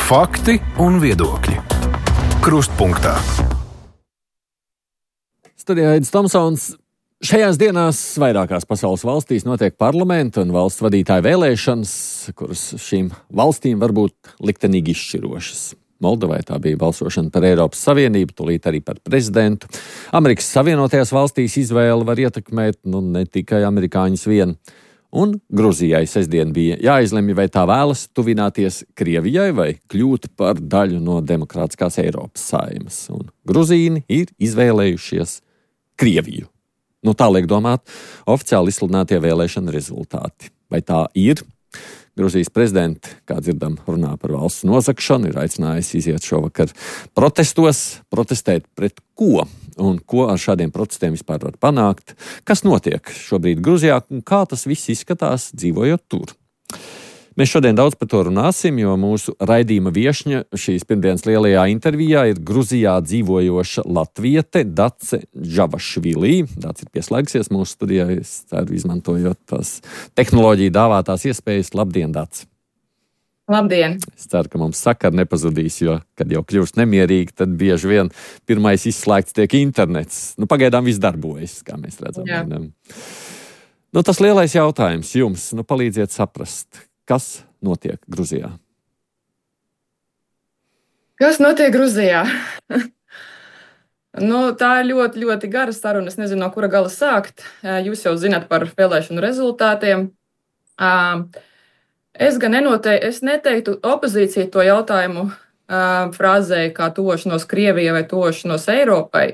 Fakti un viedokļi. Krustpunktā. Studijā Aidis Tomsons. Šajās dienās vairākās pasaules valstīs notiek parlamenta un valsts vadītāju vēlēšanas, kuras šīm valstīm var būt liktenīgi izšķirošas. Moldovai tā bija balsošana par Eiropas Savienību, tūlīt arī par prezidentu. Amerikas Savienotajās valstīs izvēle var ietekmēt ne tikai amerikāņus vien. Un Gruzijai sestdien bija jāizlemj, vai tā vēlas tuvināties Krievijai vai kļūt par daļu no demokrātiskās Eiropas Saeimas. Un gruzīni ir izvēlējušies Krieviju. Tā liek domāt oficiāli izsludinātie vēlēšana rezultāti. Vai tā ir? Gruzijas prezidents, kā dzirdam, runā par valsts nozagšanu, ir aicinājis iziet šovakar protestēt pret ko? Un ko ar šādiem protestiem vispār var panākt? Kas notiek šobrīd Gruzijā un kā tas viss izskatās dzīvojot tur? Mēs šodien daudz par to runāsim, jo mūsu raidījuma viešņa šīs pirmdienas lielajā intervijā ir Gruzijā dzīvojoša latviete Dace Džavašvilī. Dace ir pieslēgsies mūsu studijā, es ceru, izmantojot tās tehnoloģiju dāvātās iespējas. Labdien, Dace! Labdien! Es ceru, ka mums sakari nepazudīs, jo, kad jau kļūst nemierīgi, tad bieži vien pirmais izslēgts tiek internets. Pagaidām viss darbojas, kā mēs redzam. Tas lielais jautājums jums, palīdziet saprast, kas notiek Gruzijā? Kas notiek Gruzijā? Tā ir ļoti, ļoti gara saruna. Es nezinu, no kura gala sākt. Jūs jau zināt par vēlēšanu rezultātiem. Es neteiktu opozīciju to jautājumu frāzēju kā tuvošanos Krievijai vai tuvošanos Eiropai.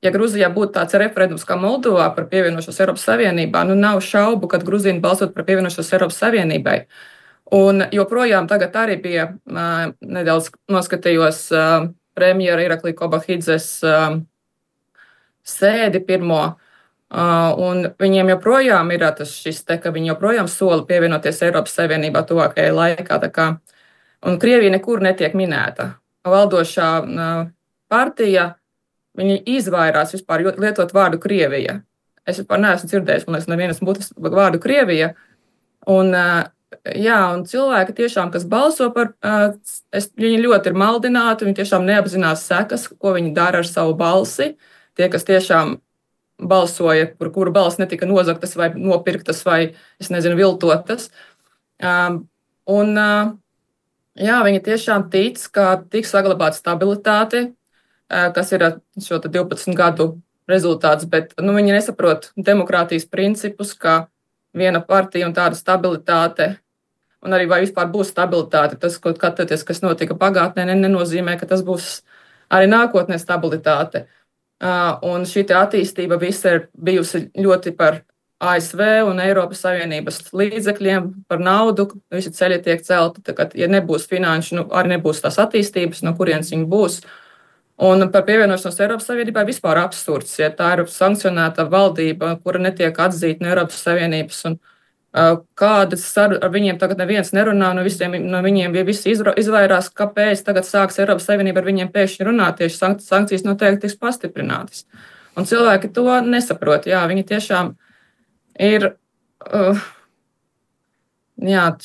Ja Gruzijā būtu tāds referendums kā Moldovā par pievienošanos Eiropas Savienībā, nav šaubu, ka gruzīni balsot par pievienošanos Eiropas Savienībai. Un joprojām tagad arī bija nedaudz noskatījos premjera Iraklī Kobahidzes sēdi pirmo. Un viņiem joprojām ir ka viņi joprojām sola pievienoties Eiropas Savienībā tuvākajai laikā. Un Krievija nekur netiek minēta. Valdošā partija, viņi izvairās vispār lietot vārdu Krievija. Es vispār neesmu dzirdējis, man liekas, nevienas būtas vārdu Krievija. Un cilvēki tiešām, kas balso par, viņi ļoti ir maldināti, viņi tiešām neapzinās sekas, ko viņi dara ar savu balsi. Tie, kas tiešām balsoja, par kuru balss netika nozagtas vai nopirktas vai, viltotas. Viņi tiešām tic, ka tiks saglabāta stabilitāte, kas ir šo 12 gadu rezultāts, bet viņi nesaprot demokrātijas principus, ka viena partija un tāda stabilitāte, un arī vai vispār būs stabilitāte. Tas, kas notika pagātnē, nenozīmē, ka tas būs arī nākotnē stabilitāte. Un šī attīstība visa ir bijusi ļoti par ASV un Eiropas Savienības līdzekļiem, par naudu, visi ceļi tiek celti. Ja nebūs finanšu, arī nebūs tās attīstības, no kurienes viņi būs. Un par pievienošanos Eiropas Savienībai vispār absurds, ja tā ir sankcionēta valdība, kura netiek atzīta no Eiropas Savienības. Un kādas ar viņiem tagad neviens nerunā, no viņiem visi izvairās, kāpēc tagad sāks Eiropas Savienība ar viņiem pēkšņi runāt, tieši sankcijas noteikti tiks pastiprinātas. Un cilvēki to nesaprot, viņi tiešām ir,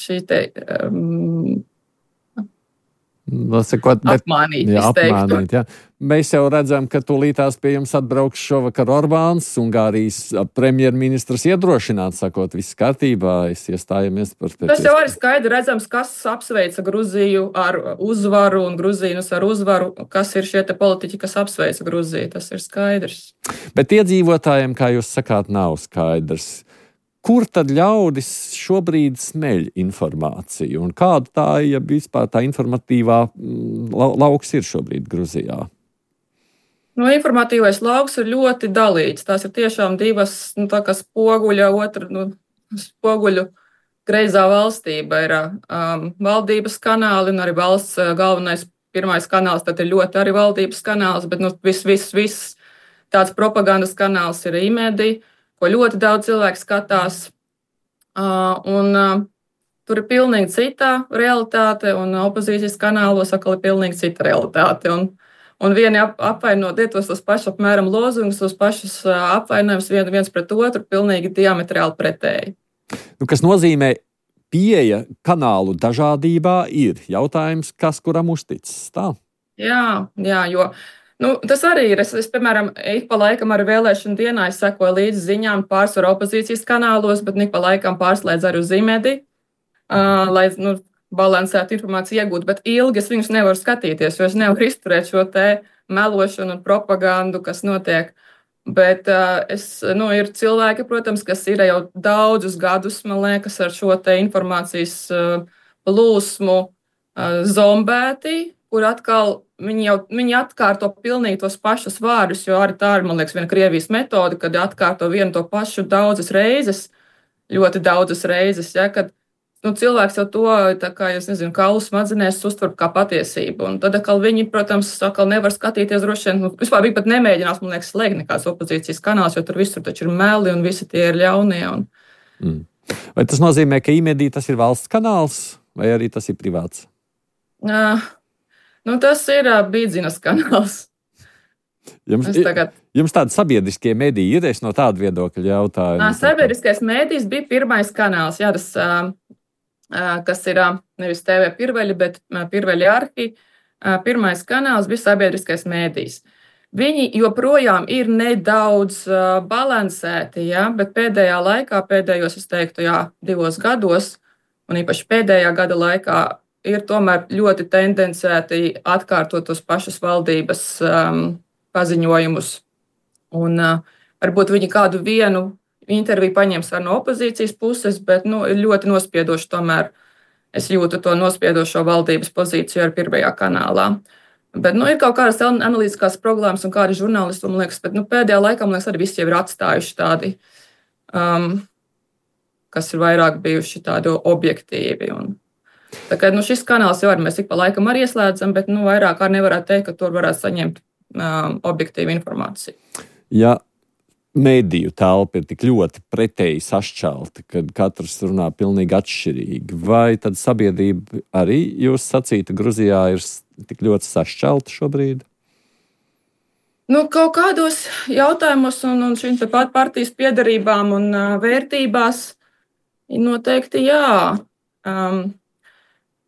šī te... apmānīt. Mēs jau redzam, ka tūlītās pie jums atbrauks šovakar Orbāns, Ungārijas premjerministrs iedrošināt, sakot, viss kārtībā, iestājamies par pēc. Tas jau arī skaidri redzams, kas apsveica Gruziju ar uzvaru un gruzīnus ar uzvaru, kas ir šie te politiķi, kas apsveica Gruziju, tas ir skaidrs. Bet iedzīvotājiem, kā jūs sakāt, nav skaidrs. Kur tad ļaudis šobrīd smeļ informāciju un kāda tā, ja vispār tā informatīvā lauks ir šobrīd Gruzijā? Informatīvais lauks ir ļoti dalīts. Tās ir tiešām divas, tā kā spoguļu greizā valstība ir valdības kanāli un arī valsts galvenais pirmais kanāls, tad ir ļoti arī valdības kanāls, bet viss tāds propagandas kanāls ir e-medija, ko ļoti daudz cilvēku skatās. Tur ir pilnīgi cita realitāte, un opozīcijas kanālos atkal ir pilnīgi cita realitāte. un vieni apvaino tos pašus apmēram lozungus, tos pašus apvainojumus viens pret otru, pilnīgi diametrāli pretēji. Kas nozīmē, pieeja kanālu dažādībā ir jautājums, kas kuram uzticis. Tā? Jā, jo tas arī ir. Es piemēram, ik pa laikam ar vēlēšanu dienā sekoju līdzi ziņām pārsvarā opozīcijas kanālos, bet ik pa laikam pārslēdzu arī uz Zimedi, lai balansētu informāciju iegūt. Bet ilgi es viņus nevaru skatīties, jo es nevaru izturēt šo te melošanu un propagandu, kas notiek. Bet ir cilvēki, protams, kas ir jau daudzus gadus, man liekas, ar šo te informācijas plūsmu zombēti, kur atkal viņi atkārto pilnīgi tos pašus vārdus, jo arī tā ir, man liekas, viena Krievijas metode, kad atkārto vienu to pašu daudzas reizes, ļoti daudzas reizes, ja, kad cilvēks jau to, tā kā, es nezinu, kaulu smadzenēs uztver kā patiesību. Un tad atkal viņi, protams, nevar skatīties droši vien, vispār viņi pat nemēģinās, man liekas, slēgt nekāds opozīcijas kanāls, jo tur visur taču ir meli un visi tie ir ļaunie. Vai tas nozīmē, ka IMEDI tas ir valsts kanāls vai arī tas ir privāts? Tas ir Bīdzinas kanāls. Jums tādi sabiedriskie mediji ir, es no tāda viedokļa jautāju. Sabiedriskais medijs bija pirmais kanāls, jā, tas, kas ir nevis TV Pirveļi, bet Pirveļi Arhi. Pirmais kanāls bija sabiedriskais medijs. Viņi joprojām ir nedaudz balansēti, ja, bet pēdējā laikā, pēdējos, es teiktu, 2 gados, un īpaši pēdējā gada laikā, ir tomēr ļoti tendencēti atkārtot tos pašus valdības paziņojumus. Un varbūt viņi kādu vienu interviju paņems no opozīcijas puses, bet ir ļoti nospiedoši tomēr. Es jūtu to nospiedošo valdības pozīciju ar pirmajā kanālā. Bet ir kaut kādas analītiskās problēmas un kādi žurnālisti, man liekas, bet pēdējā laikā, man liekas, arī visi jau ir atstājuši tādi, kas ir vairāk bijuši tādi objektīvi. Tā kā šis kanāls jau mēs ik pa laikam arī ieslēdzam, bet vairāk arī nevarētu teikt, ka tur varētu saņemt objektīvu informāciju. Ja mediju telpa ir tik ļoti pretēji sašķelta, kad katrs runā pilnīgi atšķirīgi, vai tad sabiedrība arī, jūs sacītu, Gruzijā ir tik ļoti sašķelta šobrīd? Kaut kādos jautājumos un šīm partijas piedarībām un vērtībās noteikti jā.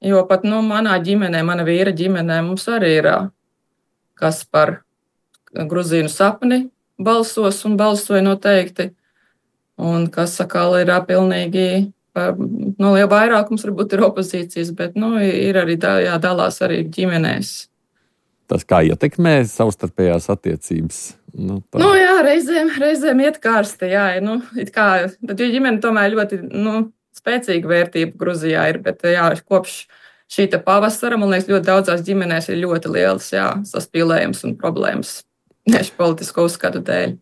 Jo pat manā ģimenē, mana vīra ģimenē, mums arī ir kas par Gruzīnu sapni balsos un balsoja noteikti. Un kas atkal ir pilnīgi, liela vairākums varbūt ir opozīcijas, bet ir arī jādalās arī ģimenēs. Tas kā ietekmē savstarpējās attiecības? Jā, reizēm iet karsti, jā. Tad ģimene tomēr ļoti, spēcīga vērtība Gruzijā ir, bet kopš šī pavasara, man liekas, ļoti daudzās ģimenēs ir ļoti liels saspīlējums un problēmas tieši politisko uzskatu dēļ.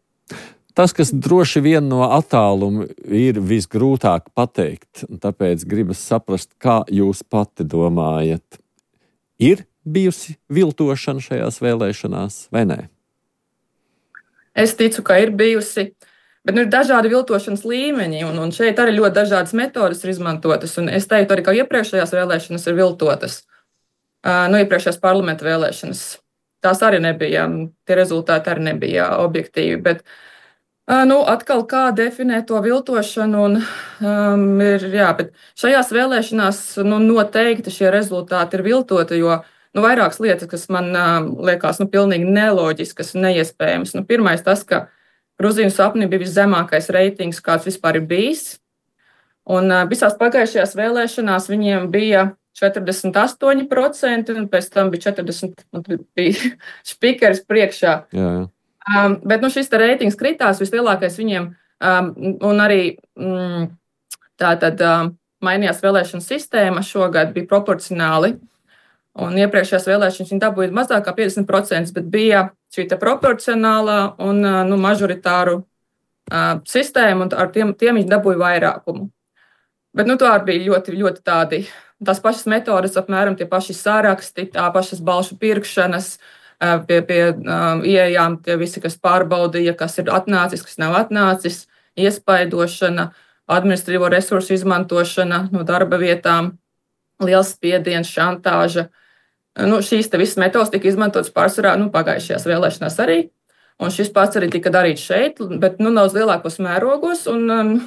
Tas, kas droši vien no attāluma ir visgrūtāk pateikt, un tāpēc gribas saprast, kā jūs pati domājat, ir bijusi viltošana šajās vēlēšanās vai nē? Es ticu, ka ir bijusi. Bet ir dažādi viltošanas līmeņi, un šeit arī ļoti dažādas metodes ir izmantotas. Un es teiktu arī, ka iepriekšējās vēlēšanas ir viltotas. Iepriekšējās parlamenta vēlēšanas. Tās arī nebija, tie rezultāti arī nebija objektīvi. Bet atkal kā definē to viltošanu, bet šajās vēlēšanās noteikti šie rezultāti ir viltoti, jo vairākas lietas, kas man liekas pilnīgi neloģiskas un neiespējamas. Pirmais tas, ka Gruzīnu sapni bija viszemākais reitings, kāds vispār ir bijis. Un visās pagājušajās vēlēšanās viņiem bija 48%, un pēc tam bija 40%, bija špikeris priekšā. Jā. Bet šis reitings kritās vislielākais viņiem, un arī tātad mainījās vēlēšanu sistēma šogad, bija proporcionāli. Un iepriekšējās vēlēšanas viņi dabūja mazāk kā 50%, bet bija šī proporcionālā un mažoritāru sistēma, un ar tiem viņi dabūja vairākumu. Bet tā bija ļoti, ļoti tādi, tās pašas metodes, apmēram tie paši saraksti, tā pašas balsu pirkšanas, pie ieejām tie visi, kas pārbaudīja, kas ir atnācis, kas nav atnācis, iespaidošana, administratīvo resursu izmantošana no darba vietām, liels spiediens, šantāža. šīs te visas metodas tika izmantotas pārsvarā pagājušajās vēlēšanās arī. Un šis pats arī tika darīts šeit, bet daudz lielākos mērogos. Un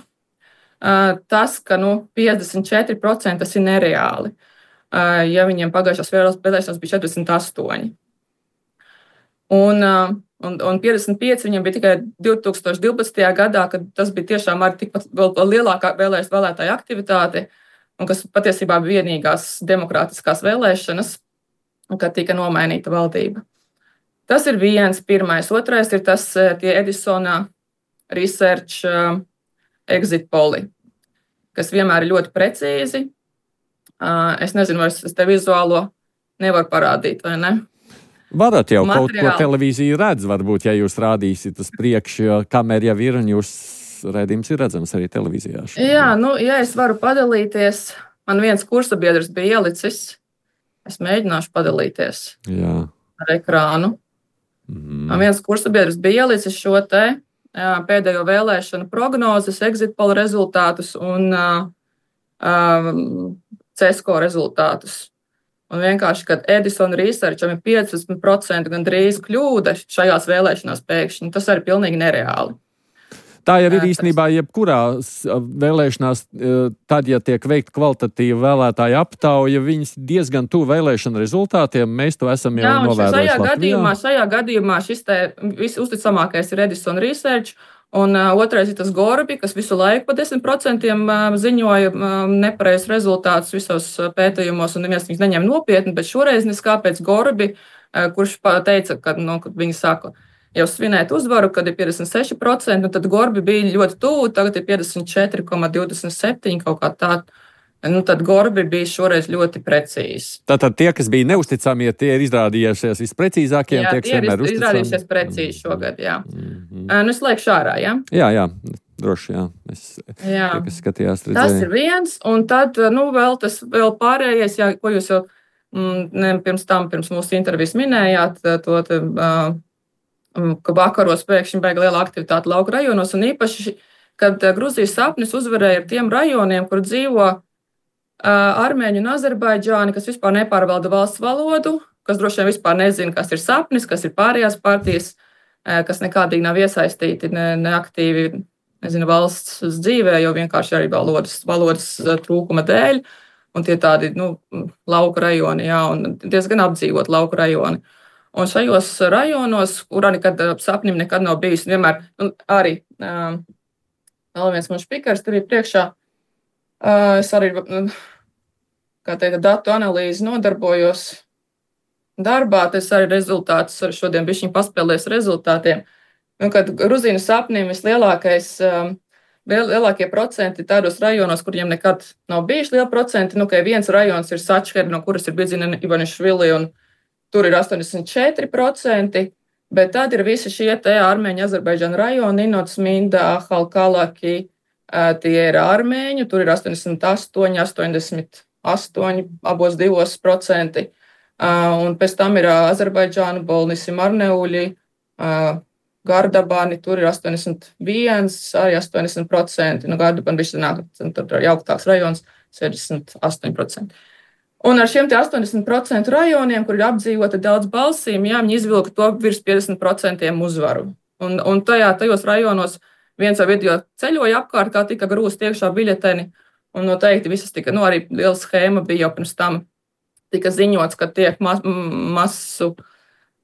tas, ka 54% tas ir nereāli. Ja viņiem pagājušās vēlēšanās bija 48%. Un 55 viņam bija tikai 2012. gadā, kad tas bija tiešām arī tikpat vēl lielākā vēlētāja aktivitāte, un kas patiesībā bija vienīgās demokrātiskās vēlēšanas, kad tika nomainīta valdība. Tas ir pirmais. Otrais ir tas tie Edisona Research exit poli, kas vienmēr ir ļoti precīzi. Es nezinu, vai es te vizuālo nevaru parādīt, vai ne? Varat jau kaut ko televīzija redz, varbūt, ja jūs rādīsiet uz priekšu, jo kamera jau ir un jūs redzījums ir redzams arī televīzijā. Jā, ja es varu padalīties, man viens kursabiedrs bija ielicis, es mēģināšu padalīties ar ekrānu. Man viens kursabiedrs bija ielicis šo te pēdējo vēlēšanu prognozes, exit poll rezultātus un CESCO rezultātus. Un vienkārši, kad Edison Researcham ir 15% gandrīz kļūda šajās vēlēšanās pēkšņi, tas arī pilnīgi nereāli. Tā jau ir īstenībā jebkurās vēlēšanās, tad, ja tiek veikta kvalitatīva vēlētāja aptauja, viņas diezgan tuvu vēlēšanu rezultātiem. Mēs to esam jau novērojuši. Šajā gadījumā šis te visuzticamākais ir Edison Research, un otrais ir tas Gorbi, kas visu laiku pa 10% ziņoja nepareizs rezultātus visos pētījumos, un neviens viņus neņem nopietni, bet šoreiz neskāpēc Gorbi, kurš teica, kad viņi saka, jau svinēt uzvaru, kad ir 56%, tad Gorbi bija ļoti tuvu, tagad ir 54,27 kaut kā tā. Tad Gorbi bija šoreiz ļoti precīzi. Tātad tie, kas bija neusticami, ja tie ir izrādījušies visprecīzākie, tie ir izrādījušies precīzi šogad, jā. Es laikšu ārā, jā? Jā, droši, jā. Tie, kas skatījās, redzēja. Tas ir viens, un tad, vēl pārējais, jā, ko jūs jau pirms mūsu intervijas minējāt, ka vakaros pēkšņi beiga liela aktivitāte lauku rajonos, un īpaši, kad Gruzijas sapnis uzvarēja ar tiem rajoniem, kur dzīvo armēņi un azerbaidžāni, kas vispār nepārvalda valsts valodu, kas droši vien vispār nezina, kas ir sapnis, kas ir pārējās partijas, kas nekādīgi nav iesaistīti neaktīvi, valsts dzīvē, jo vienkārši arī valodas trūkuma dēļ, un tie tādi, lauku rajoni, jā, un diezgan apdzīvot lauku rajoni. Un šajos rajonos, kurā sapnim nekad nav bijis, vienmēr, arī vēl viens man špikars, tur ir priekšā, es arī, datu analīzi nodarbojos darbā, tas arī rezultātus, arī šodien bišķiņ paspēlēs rezultātiem. Kad Gruzīnu sapnim lielākie procenti tādos rajonos, kuriem nekad nav bijuši lieli procenti, ka viens rajons ir Sačheri, no kuras ir Bidzina Ivanišvili, un tur ir 84%, bet tad ir visi šie te armēņu Azerbaidžānu rajoni, Ninots, Minda, Halkalaki, tie ir armēņu, tur ir 88, abos 2%, un pēc tam ir Azerbaidžānu, Bolnisi, Marneuļi, Gardabani, tur ir 81, arī 80%, Gardabani bišķi nāk, tur ir jauktāks rajons, 68%. Un ar šiem 80% rajoniem, kur ir apdzīvota daudz balsīm, viņi izvilka to virs 50% uzvaru. Un tajos rajonos viens video ceļoja apkārt, kā tika grūst iekšā biļeteni, un noteikti visas tika, arī liela schēma bija jau pirms tam, tika ziņots, ka tiek masu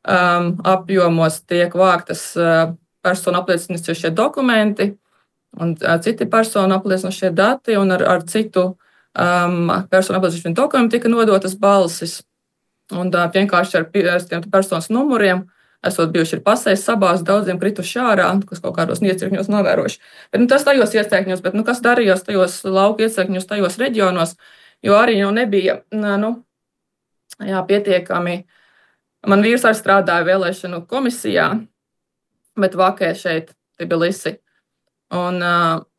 apjomos tiek vāktas personu apliecinošie dokumenti un citi personu apliecinošie dati, un ar citu personu apliecinošiem dokumentiem tika nodotas balsis. Un vienkārši ar tiem personas numuriem, esot bijuši ir pasēs sabās, daudziem krituši ārā, kas kaut kādos iecirkņos novēroši. Bet tas tajos iecirkņos, bet kas darījās tajos lauku iecirkņos, tajos reģionos, jo arī jau nebija pietiekami. Man vīrs arī strādāja vēlēšanu komisijā, bet vakē šeit Tbilisi. Un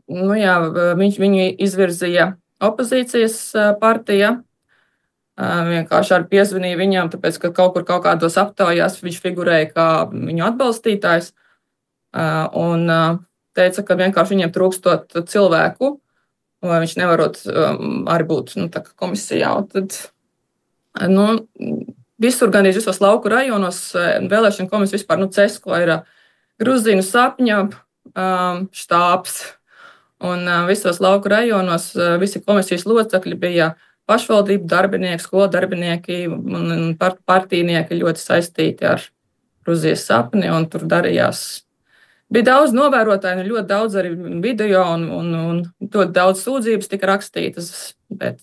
viņu izvirzīja opozīcijas partija. Vienkārši arī piezvanīja viņam, tāpēc, ka kaut kādos aptaujās viņš figurēja kā viņu atbalstītājs. Un teica, ka vienkārši viņiem trūkstot cilvēku, vai viņš nevarot arī būt komisijā. Un tad, visur, gandrīz visos lauku rajonos, vēlēšana komisija vispār, CESKO ir Gruzīnu sapņa štābs. Un visos lauku rajonos visi komisijas locekļi bija pašvaldību darbinieki, skolu darbinieki un partijnieki ļoti saistīti ar Gruzijas sapni, un tur darījās. Bija daudz novērotāju, ļoti daudz arī video, un ļoti daudz sūdzības tika rakstītas, bet,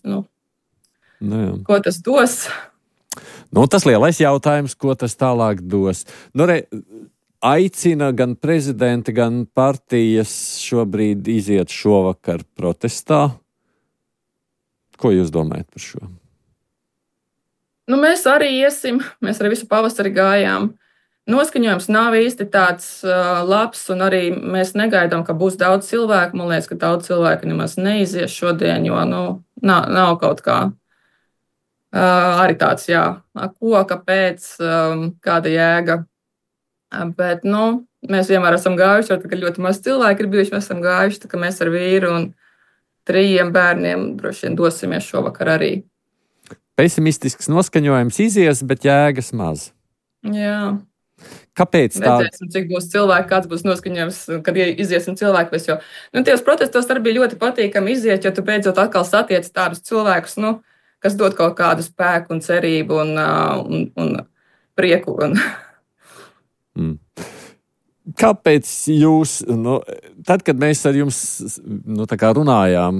ko tas dos? Tas lielais jautājums, ko tas tālāk dos. Aicina gan prezidenti, gan partijas šobrīd iziet šovakar protestā. Ko jūs domājat par šo? Mēs arī iesim, mēs arī visu pavasari gājām. Noskaņojums nav īsti tāds labs, un arī mēs negaidām, ka būs daudz cilvēku. Man liekas, ka daudz cilvēku nemaz neizies šodien, jo nav kaut kā arī tāds, kāpēc, kāda jēga. Bet, mēs vienmēr esam gājuši, jo tagad ļoti maz cilvēki ir bijuši, mēs esam gājuši, tā kā mēs ar vīru un 3 bērniem droši vien dosimies šovakar arī. Pesimistisks noskaņojums izies, bet jēgas maz. Jā. Kāpēc tā? Redzēsim, cik būs cilvēki, kāds būs noskaņojums, kad iziesim cilvēku. Jo tajos protestos arī bija ļoti patīkami iziet, jo tu beidzot atkal satiec tādus cilvēkus, kas dod kaut kādu spēku un cerību un prieku. Kāpēc jūs, tad, kad mēs ar jums runājām,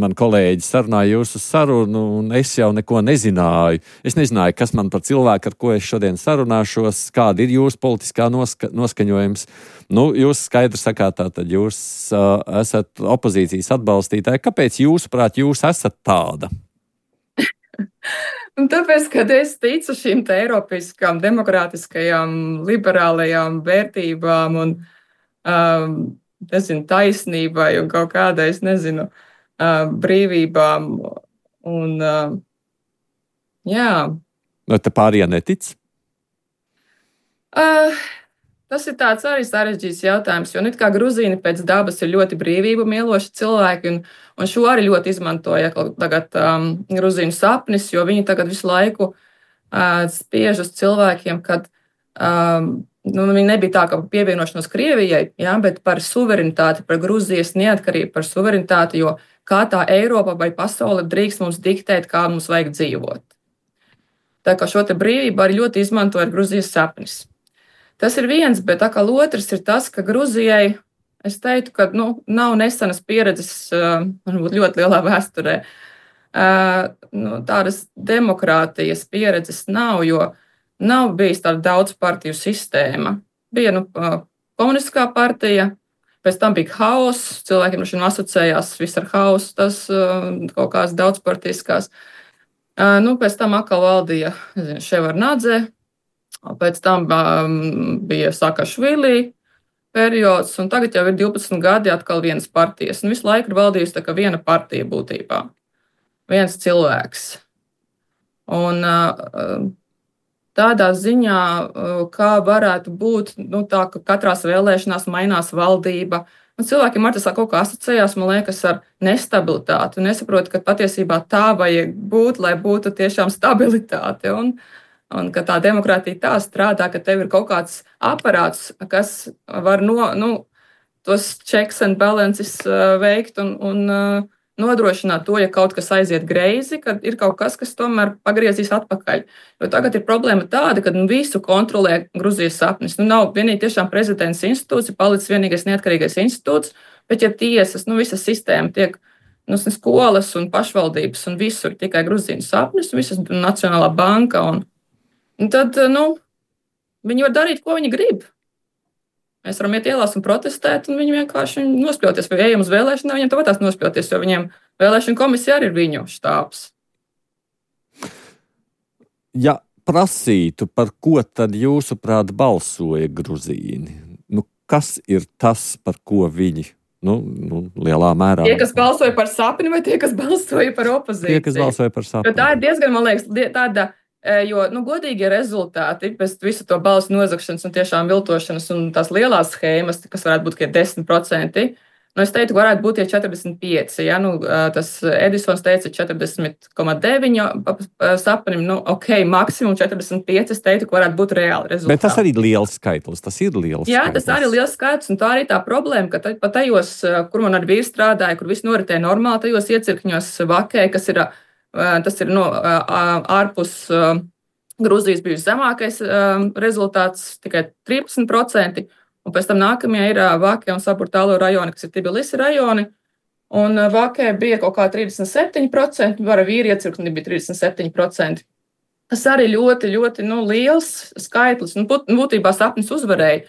man kolēģi sarunāja jūsu sarunu, un es jau neko nezināju. Es nezināju, kas man par cilvēku, ar ko es šodien sarunāšos, kāda ir jūsu politiskā noskaņojums. Jūs skaidri sakāt, tātad jūs esat opozīcijas atbalstītāji. Kāpēc jūsuprāt, jūs esat tāda? Tāpēc, kad es ticu šīm eiropiskām, demokrātiskajām, liberālajām vērtībām un taisnībai un kaut kādai, brīvībām. Te pārējie netic? Tas ir tāds arī sarežģīts jautājums, jo kā gruzīni pēc dabas ir ļoti brīvību mīloši cilvēki, un šo arī ļoti izmantoja tagad Gruzīnu sapnis, jo viņi tagad visu laiku spiež uz cilvēkiem, kad viņi nebija tā, ka pievienošanos Krievijai, bet par suverenitāti, par Gruzijas neatkarību, par suverenitāti, jo kā tā Eiropa vai pasaule drīkst mums diktēt, kā mums vajag dzīvot. Tā kā šo te brīvību arī ļoti izmantoja Gruzijas sapnis. Tas ir viens, bet atkal otrs ir tas, ka Gruzijai, es teiktu, ka nav nesenas pieredzes, varbūt ļoti lielā vēsturē. Tādas demokrātijas pieredzes nav, jo nav bijis tāda daudzpartiju sistēma. Bija komunistiskā partija, pēc tam bija hauss, cilvēkiem šim asociējās viss ar hausu, tas kaut kādas daudzpartiskās. Pēc tam atkal valdīja Ševardnadze. Pēc tam bija Sakašvili periods, un tagad jau ir 12 gadi atkal vienas partijas. Un visu laiku ir valdījusi tā kā viena partija būtībā, viens cilvēks. Un tādā ziņā, kā varētu būt, tā, ka katrās vēlēšanās mainās valdība, un cilvēkiem ar tas kaut kā asociējās, man liekas, ar nestabilitāti. Un nesaprotu, ka patiesībā tā vajag būt, lai būtu tiešām stabilitāte. Un ka tā demokrātija tā strādā, ka tev ir kaut kāds aparāts, kas var tos checks and balances veikt un nodrošināt to, ja kaut kas aiziet greizi, kad ir kaut kas, kas tomēr pagriezīs atpakaļ. Jo tagad ir problēma tāda, ka visu kontrolē Gruzijas sapnis. Nav vienīgi tiešām prezidents institūts, ir palicis vienīgais neatkarīgais institūts, bet ja tiesas, visa sistēma tiek skolas un pašvaldības un visur tikai Gruzijas sapnis, visas Nacionālā banka un tad, viņi var darīt, ko viņi grib. Mēs varam iet ielās un protestēt, un viņi vienkārši nospļauties. Vai ejam uz vēlēšanām, viņiem tāpat tās nospļauties, jo viņiem vēlēšana komisija arī ir viņu štābs. Ja prasītu, par ko tad jūsuprāt balsoja gruzīni? Kas ir tas, par ko viņi, lielā mērā? Tie, kas balsoja par sapni, vai tie, kas balsoja par opozīciju? Tie, kas balsoja par sapni. Bet tā ir diezgan, man liekas, tāda. Jo godīgie rezultāti pēc visu to balsu nozagšanas un tiešām viltošanas un tās lielās schēmas, kas varētu būt 10%, Es teiktu, varētu būt tie 45. Ja? Tas Edisons teica 40,9 sapnim. Ok, maksimum 45. Es teiktu, ka varētu būt reāli rezultāti. Bet tas arī ir liels skaitlis. Tas ir liels Jā, skaitlis. Tas arī ir liels skaitlis. Un tā arī tā problēma, ka pat tajos, kur man ar vīru strādāja, kur viss noritēja normāli, tajos iecirkņos vakē, tas ir ārpus Grūzijas bijusi zemākais rezultāts, tikai 13%. Un pēc tam nākamie ir Vakē un Saburtālo rajoni, kas ir Tbilisi rajoni. Un Vakē bija kaut kā 37%, vara vīri iecirkni bija 37%. Tas arī ļoti, ļoti liels skaitlis. Būtībā sapnis uzvarēja.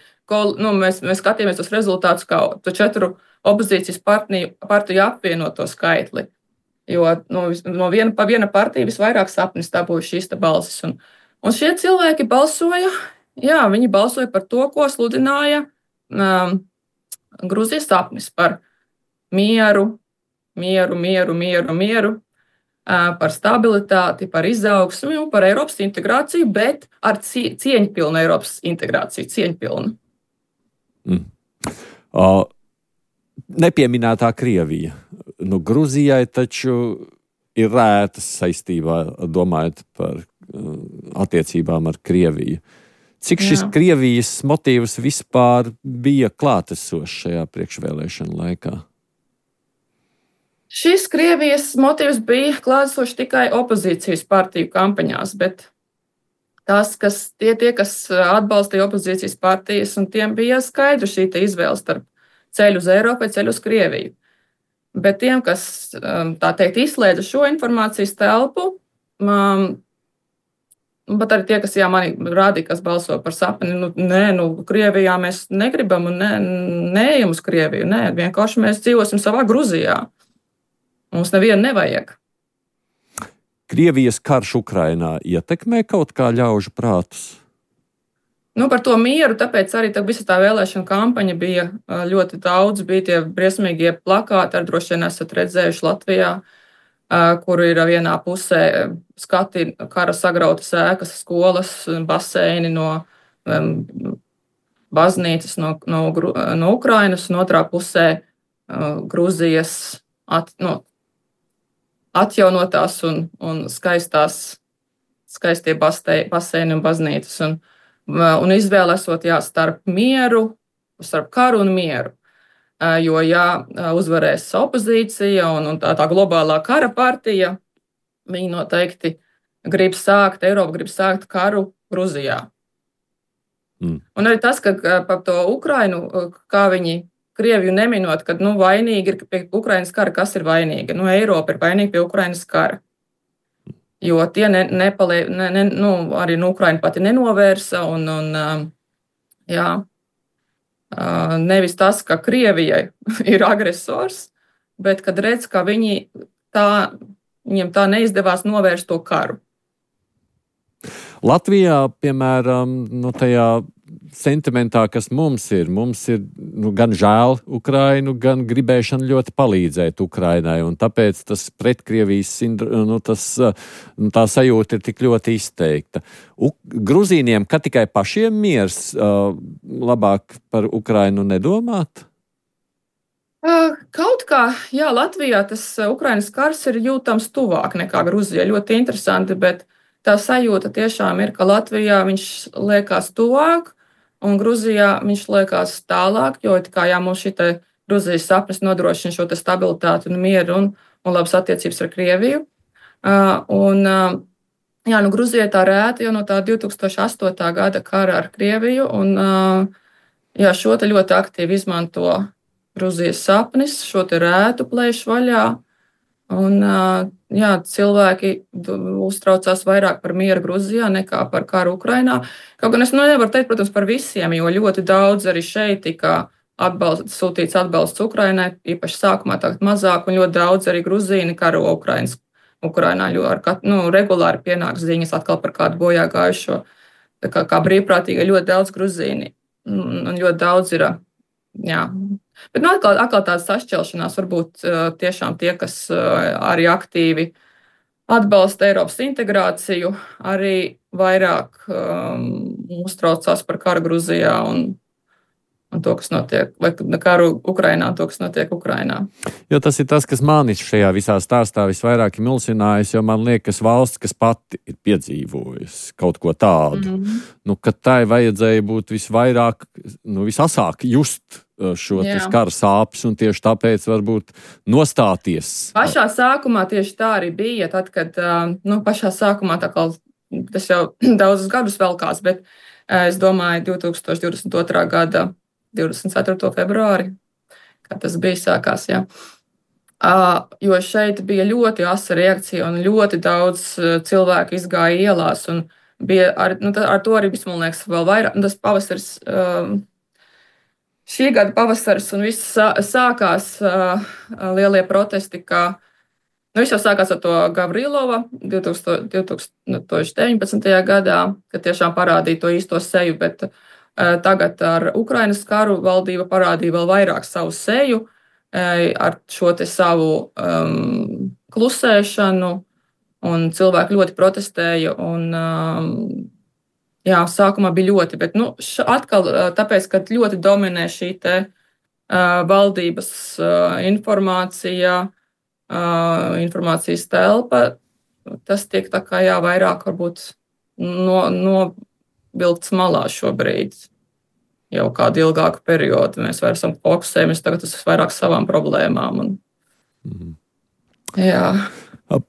Mēs skatījāmies tos rezultātus kā to 4 opozīcijas partiju apvienoto skaitli. Jo no viena partija visvairāk sapnis dabūja šīs balsis. Un šie cilvēki balsoja. Jā, viņi balsoja par to, ko sludināja Grūzijas sapnis par mieru, par stabilitāti, par izaugsmi un par Eiropas integrāciju, bet ar cieņpilnu Eiropas integrāciju, cieņpilnu. Nepieminētā Krievija. Grūzijai taču ir rētas saistībā, domājot par attiecībām ar Krieviju. Cik šis Krievijas motīvs vispār bija klātesošs šajā priekšvēlēšanu laikā? Šis Krievijas motīvs bija klātesošs tikai opozīcijas partiju kampaņās, bet tie, kas atbalstīja opozīcijas partijas, un tiem bija skaidra šī izvēle starp ceļu uz Eiropu vai ceļu uz Krieviju. Bet tiem, kas, tā teikt, izslēdza šo informācijas telpu, bet arī tie, kas mani rādīja, kas balso par sapni, Krievijā mēs negribam un neejam uz Krieviju. Nē, vienkārši mēs dzīvosim savā Gruzijā. Mums nevienu nevajag. Krievijas karš Ukrainā ietekmē kaut kā ļaužu prātus? Par to mieru, tāpēc arī visa tā vēlēšana kampaņa bija ļoti daudz. Bija tie briesmīgie plakāti, ar droši vien esat redzējuši Latvijā, kur ir vienā pusē skati kara sagrautas ēkas, skolas, baseini no baznīcas, no Ukrainas, un otrā pusē Grūzijas atjaunotās un skaistie baseini un baznīcas. Un izvēle esot starp mieru, starp karu un mieru. Jo, uzvarēs opozīcija un tā globālā kara partija, viņi noteikti Eiropa grib sākt karu Gruzijā. Un arī tas, ka par to Ukrainu, kā viņi Krieviju neminot, kad vainīgi ir pie Ukrainas kara, kas ir vainīga? Eiropa ir vainīga pie Ukrainas kara. Jo tie arī Ukraina pati nenovērsa. Nevis tas, ka Krievijai ir agresors, bet kad redz, ka viņiem tā neizdevās novērst to karu. Latvijā, piemēram, tajā sentimentā, kas mums ir gan žēl Ukrainu, gan gribēšana ļoti palīdzēt Ukrainai, un tāpēc tas pretkrievijas tā sajūta ir tik ļoti izteikta. Gruzīniem, ka tikai pašiem miers, labāk par Ukrainu nedomāt? Kaut kā, Latvijā tas Ukrainas kars ir jūtams tuvāk nekā Gruzijā. Ļoti interesanti, bet tā sajūta tiešām ir, ka Latvijā viņš liekas tuvāk, un Gruzijā viņš liekas tālāk, jo mums šī Gruzijas sapnis nodrošina šo stabilitāti un mieru un labas attiecības ar Krieviju. Gruzijai tā rēta jau no tā 2008. gada kara ar Krieviju, un šo ļoti aktīvi izmanto Gruzijas sapnis, šo rētu plēš vaļā. Un, cilvēki uztraucās vairāk par mieru Gruzijā nekā par karu Ukrainā. Kaut gan es nevaru teikt, protams, par visiem, jo ļoti daudz arī šeit tika sūtīts atbalsts Ukrainai, īpaši sākumā tagad mazāk, un ļoti daudz arī gruzīni karo Ukrainā, jo regulāri pienāk ziņas atkal par kādu bojā gājušo. Kā brīvprātīgi ļoti daudz gruzīni, un ļoti daudz ir, Bet atkal tādas sašķelšanās varbūt tiešām tie, kas arī aktīvi atbalsta Eiropas integrāciju, arī vairāk uztraucās par karu Gruzijā un to, kas notiek, vai karu Ukrainā, to, kas notiek Ukrainā. Jo tas ir tas, kas mani šajā visā stāstā visvairāk ir mulsinājis, jo man liekas, valsts, kas pati ir piedzīvojusi kaut ko tādu, ka tai vajadzēja būt visvairāk, visasāk just šo kara sāpes, un tieši tāpēc varbūt nostāties. Pašā sākumā tieši tā arī bija, tad, kad, pašā sākumā tā kā tas jau daudzus gadus velkās, bet es domāju 2022. gada 24. februāri, kā tas bija sākās, jā. Jo šeit bija ļoti asa reakcija un ļoti daudz cilvēku izgāja ielās un bija ar to arī viss, man liekas, vēl vairāk. Tas pavasaris, šī gada pavasaris un viss sākās lielie protesti, viss jau sākās ar to Gavrilova 2019. gadā, kad tiešām parādīja to īsto seju, bet tagad ar Ukrainas karu valdība parādīja vēl vairāk savu seju ar šo te savu klusēšanu, un cilvēki ļoti protestēja, un sākumā bija ļoti, bet atkal tāpēc, ka ļoti dominē šī te valdības informācijas telpa, tas tiek tā kā vairāk varbūt novilkts malā šobrīd. Jau kādu ilgāku periodu mēs vairs esam fokusējamies tagad uz vairāk savām problēmām. Jā.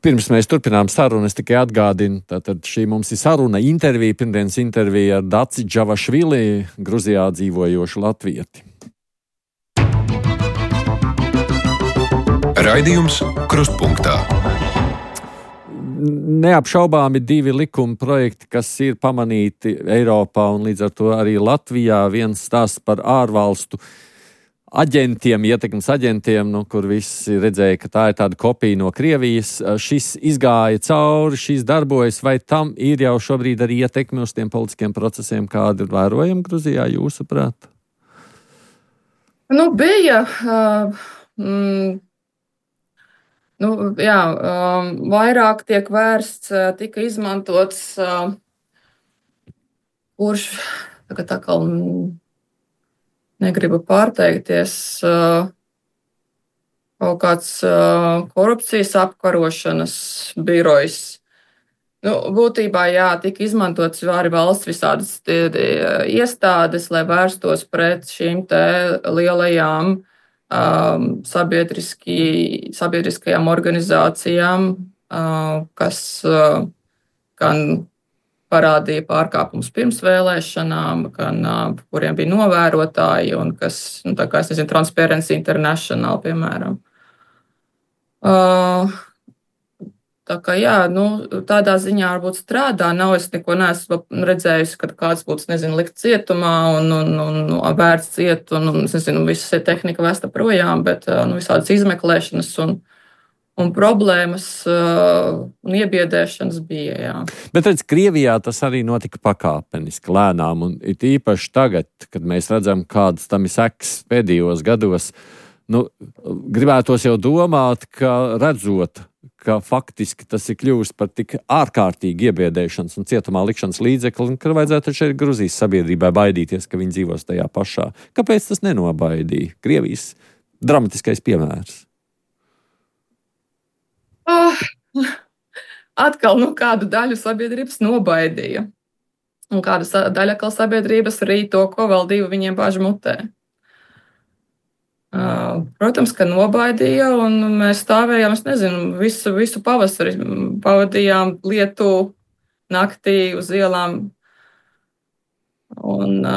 Pirms mēs turpinām sarunu, es tikai atgādinu, tātad šī mums ir saruna intervija, pirmdienas intervija ar Daci Džavašvili, Gruzijā dzīvojošu latvieti. Raidījums Krustpunktā. Neapšaubāmi divi likuma projekti, kas ir pamanīti Eiropā un līdz ar to arī Latvijā. Viens stāsts par ārvalstu aģentiem, ietekmes aģentiem, kur visi redzēja, ka tā ir tāda kopija no Krievijas. Šis izgāja cauri, šis darbojas, vai tam ir jau šobrīd arī ietekme uz tiem politiskiem procesiem, kādi ir vērojami Gruzijā, jūsuprāt? Bija... vairāk tiek vērsts, tika izmantots, kurš tagad atkal negribu pārteikties, kaut kāds korupcijas apkarošanas birojs. Būtībā, tika izmantots arī valsts visādas iestādes, lai vērstos pret šīm te lielajām sabiedriskajām organizācijām, kas gan parādīja pārkāpumus pirms vēlēšanām, gan kuriem bija novērotāji, un kas, tā kā es nezinu, Transparency International, piemēram. Tā kā, tādā ziņā varbūt strādā. Es neko neesmu redzējusi, kad kāds būtu, likt cietumā un vērts ciet, un visa tehnika vēsta projām, bet visādas izmeklēšanas un problēmas un iebiedēšanas bija, jā. Bet redz, Krievijā tas arī notika pakāpeniski, lēnām, un it īpaši tagad, kad mēs redzam, kādas tam ir sekas pēdējos gados, gribētos jau domāt, ka redzot, ka faktiski tas ir kļuvis par tik ārkārtīgi iebiedēšanas un cietumā likšanas līdzekli, ka vajadzētu šeit Gruzijas sabiedrībai baidīties, ka viņi dzīvos tajā pašā. Kāpēc tas nenobaidīja? Krievijas dramatiskais piemērs. Atkal kādu daļu sabiedrības nobaidīja. Un kāda daļa atkal sabiedrības arī to, ko valdība viņiem bāž mutē. Protams, ka nobaidīja, un mēs stāvējām, visu pavasari pavadījām lietu naktī uz ielām, un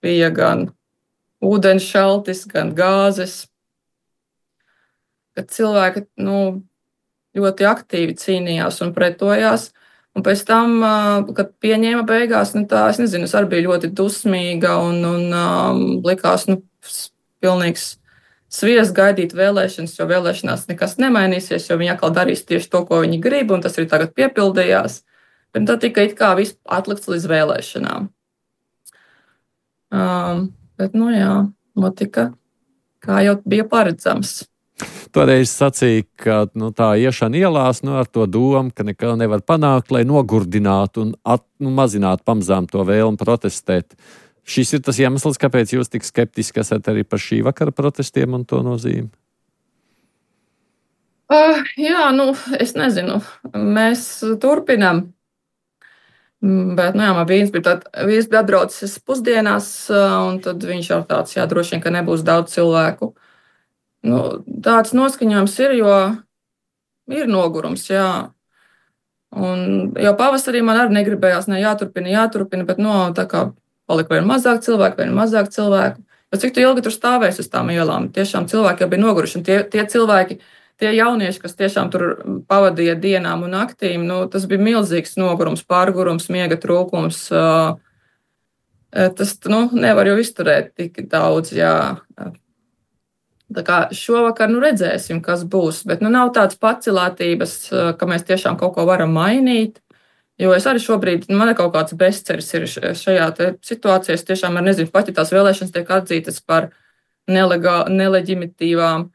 bija gan ūdens šaltis, gan gāzes, kad cilvēki, ļoti aktīvi cīnījās un pretojās, un pēc tam, kad pieņēma beigās, es arī biju ļoti dusmīga, un likās, pilnīgs sviests gaidīt vēlēšanas, jo vēlēšanās nekas nemainīsies, jo viņi atkal darīs tieši to, ko viņi grib, un tas arī tagad piepildījās. Bet tad tika it kā viss atlikts līdz vēlēšanām. Bet, notika, kā jau bija paredzams. Toreiz sacīja, ka tā iešana ielās ar to domu, ka neko nevar panākt, lai nogurdinātu un mazinātu pamazām to vēlmu protestēt. Šis ir tas iemesls, kāpēc jūs tik skeptiski esat arī par šī vakara protestiem un to nozīmi? Jā, es nezinu. Mēs turpinām. Bet, man vīns bija atbraucis pusdienās, un tad viņš jau tāds, droši vien, ka nebūs daudz cilvēku. Tāds noskaņojums ir, jo ir nogurums, jā. Un jau pavasarī man arī negribējās, jāturpina, bet, tā kā palika vien mazāk cilvēku. Bet cik tu ilgi tur stāvēsi uz tām ielām? Tiešām cilvēki jau bija noguruši, un tie cilvēki, tie jaunieši, kas tiešām tur pavadīja dienām un naktīm, tas bija milzīgs nogurums, pārgurums, miega trūkums. Tas, nevar jau izturēt tik daudz, jā. Tā kā šovakar, redzēsim, kas būs, bet, nav tādas pacelātības, ka mēs tiešām kaut ko varam mainīt, jo es arī šobrīd, man ir kaut kāds bezceļš ir šajā situācijā, es tiešām nezinu, pat ja tās vēlēšanas tiek atzītas par neleģimitīvām,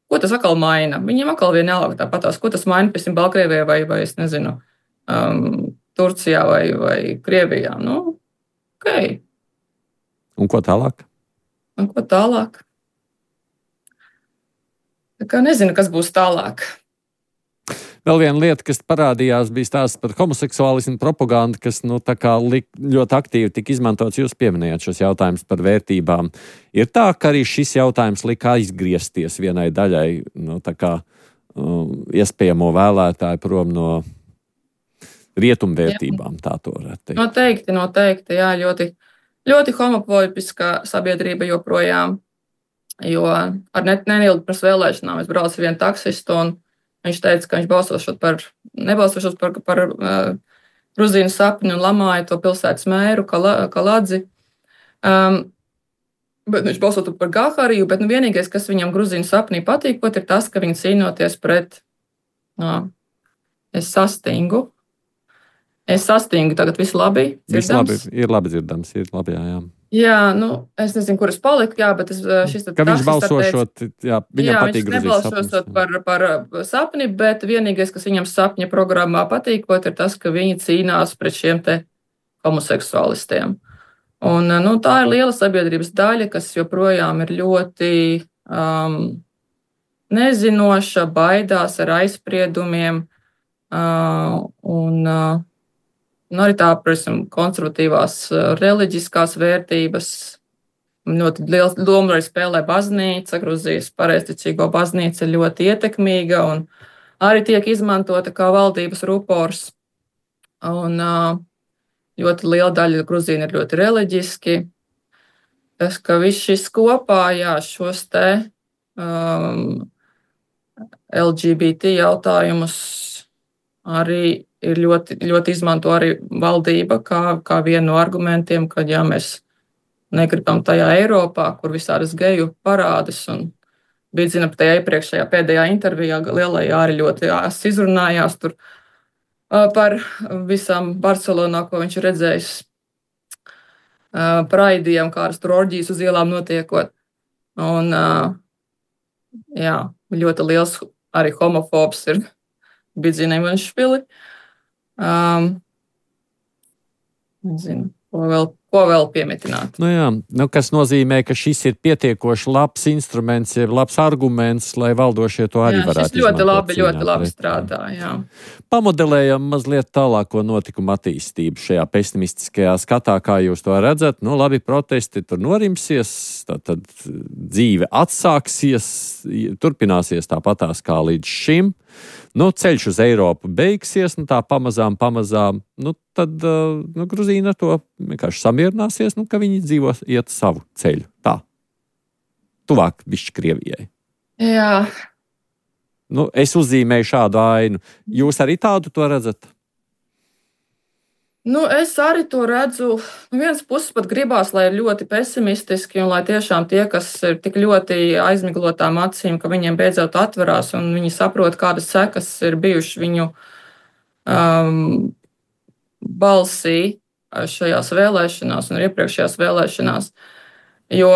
ko tas atkal maina? Viņiem atkal vienalga tāpatās, ko tas maina, piemēram, Baltkrievijā vai es nezinu, Turcijā vai Krievijā. Ok. Un ko tālāk? Tā kā nezinu, kas būs tālāk. Vēl viena lieta, kas parādījās, bija stāsts par homoseksuālismu propagandu, kas ļoti aktīvi tika izmantots. Jūs pieminējāt šos jautājumus par vērtībām. Ir tā, ka arī šis jautājums lika aizgriezties vienai daļai, iespējamo vēlētāju prom no rietumvērtībām, tā to varētu teikt. Noteikti, jā, ļoti, ļoti homofobiska sabiedrība joprojām, jo ar neilgi pirms vēlēšanām es braucu vienu taksistu un viņš teica, ka viņš nebalsošot par Gruzīnu sapni un lamāja to pilsētas mēru Kaladzi. Bet viņš balsotu par Gahāriju, bet vienīgais, kas viņam Gruzīnu sapnī patīkot, ir tas, ka viņi cīnoties pret es sastingu, tagad viss labi dzirdams? Viss labi, ir labi dzirdams, ir labi, jā. Jā, es nezinu, kur es paliku, jā, bet šis ka viņš balsošot, viņam patīk Gruzijas sapnis. Viņš nebalsošot par sapni, bet vienīgais, kas viņam sapņa programmā patīkot, ir tas, ka viņi cīnās pret šiem te homoseksuālistiem. Un, tā ir liela sabiedrības daļa, kas joprojām ir ļoti nezinoša, baidās ar aizspriedumiem, un arī tā, protams, konservatīvās reliģiskās vērtības. Ļoti liela loma arī spēlē baznīca. Gruzijas pareizticīgo baznīca ir ļoti ietekmīga un arī tiek izmantota kā valdības rupors. Un ļoti liela daļa Gruzīni ir ļoti reliģiski. Tas, ka viss šis kopā, šos te LGBT jautājumus arī ir ļoti izmanto arī valdība kā vienu no argumentiem, ka mēs negribam tajā Eiropā, kur visādas geju parādas. Un bija zina, tajā iepriekšējā pēdējā intervijā lielajā arī ļoti izrunājās tur par visām Barcelonā, ko viņš ir redzējis praidiem, kādas tur orģijas uz ielām notiekot. Un ļoti liels arī homofobs ir Bidzina Ivanšvili. Nezinu, ko vēl piemetināt. Kas nozīmē, ka šis ir pietiekoši labs instruments, ir labs arguments, lai valdošie to arī varētu izmantot. Šis ļoti labi strādā, jā. Pamodelējam mazliet tālāko notikumu attīstību šajā pesimistiskajā skatā, kā jūs to redzat. Labi, protesti tur norimsies, tad dzīve atsāksies, turpināsies tāpatās kā līdz šim. Ceļš uz Eiropu beigsies, tā pamazām, tad Gruzīna ar to vienkārši samierināsies, ka viņi iet savu ceļu. Tā. Tuvāk bišķi Krievijai. Jā. Es uzzīmēju šādu ainu. Jūs arī tādu to redzat? Es arī to redzu. No vienas puses pat gribās, lai ir ļoti pesimistiski un lai tiešām tie, kas ir tik ļoti aizmiglotām acīm, ka viņiem beidzot atverās un viņi saprot, kādas sekas ir bijušas viņu balsī šajās vēlēšanās un iepriekšējās vēlēšanās. Jo,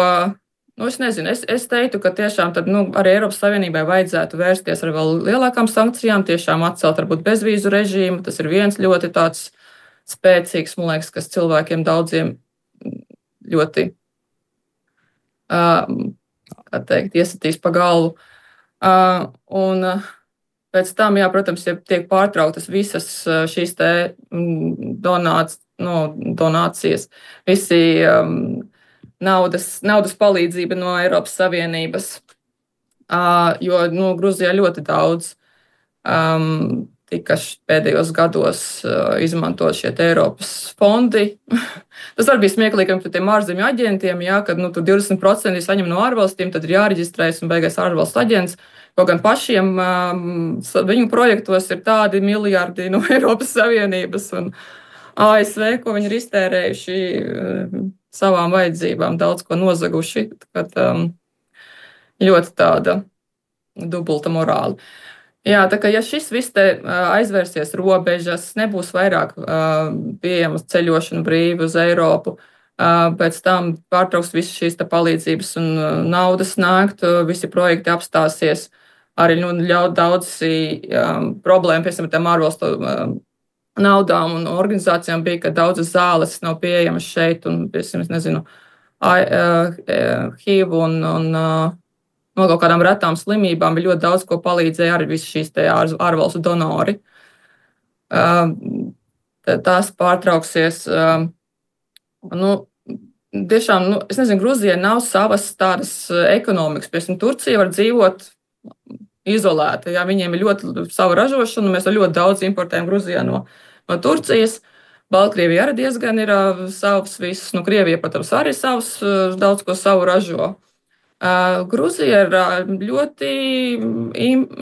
es nezinu, es teiktu, ka tiešām tad, arī Eiropas Savienībai vajadzētu vērsties ar vēl lielākām sankcijām, tiešām atcelt varbūt bezvīzu režīmu. Tas ir viens ļoti tāds spēcīgs, man liekas, kas cilvēkiem daudziem ļoti, kā teikt, iesitīs pa galvu. Un pēc tam, jā, protams, ja tiek pārtrauktas visas šīs te donācijas, visi naudas palīdzība no Eiropas Savienības, jo Gruzijā ļoti daudz tika pēdējos gados izmantot šie Eiropas fondi. Tas arī bija smieklīgi par tiem ārzemju aģentiem, jā, kad tur 20% saņem no ārvalstīm, tad ir jāreģistrējas un beigās ārvalstu aģents. Kaut gan pašiem viņu projektos ir tādi miljardi no Eiropas Savienības un ASV, ko viņi ir iztērējuši savām vajadzībām, daudz ko nozaguši. Kad, ļoti tāda dubulta morāla. Jā, tā kā ja šis viss te aizvērsies robežas, nebūs vairāk pieejamas ceļošana brīvi uz Eiropu, pēc tam pārtrauks visas šīs palīdzības un naudas nākt, visi projekti apstāsies, arī ļaut daudz problēmu, piemēram, tām ārvalstu naudām un organizācijām bija, ka daudzas zāles nav pieejamas šeit un, piemēram, nezinu, HIV un no kaut kādām retām slimībām bija ļoti daudz, ko palīdzēja arī visi šīs ārvalstu donori. Tās pārtrauksies. Tiešām, es nezinu, Gruzijai nav savas tādas ekonomikas. Piemēram, Turcija var dzīvot izolēta. Jā, viņiem ir ļoti sava ražošana, mēs ļoti daudz importējam Gruzijā no Turcijas. Baltkrievija arī diezgan ir savs viss. Krievija, protams, arī savs daudz ko savu ražo. Gruzija ir ļoti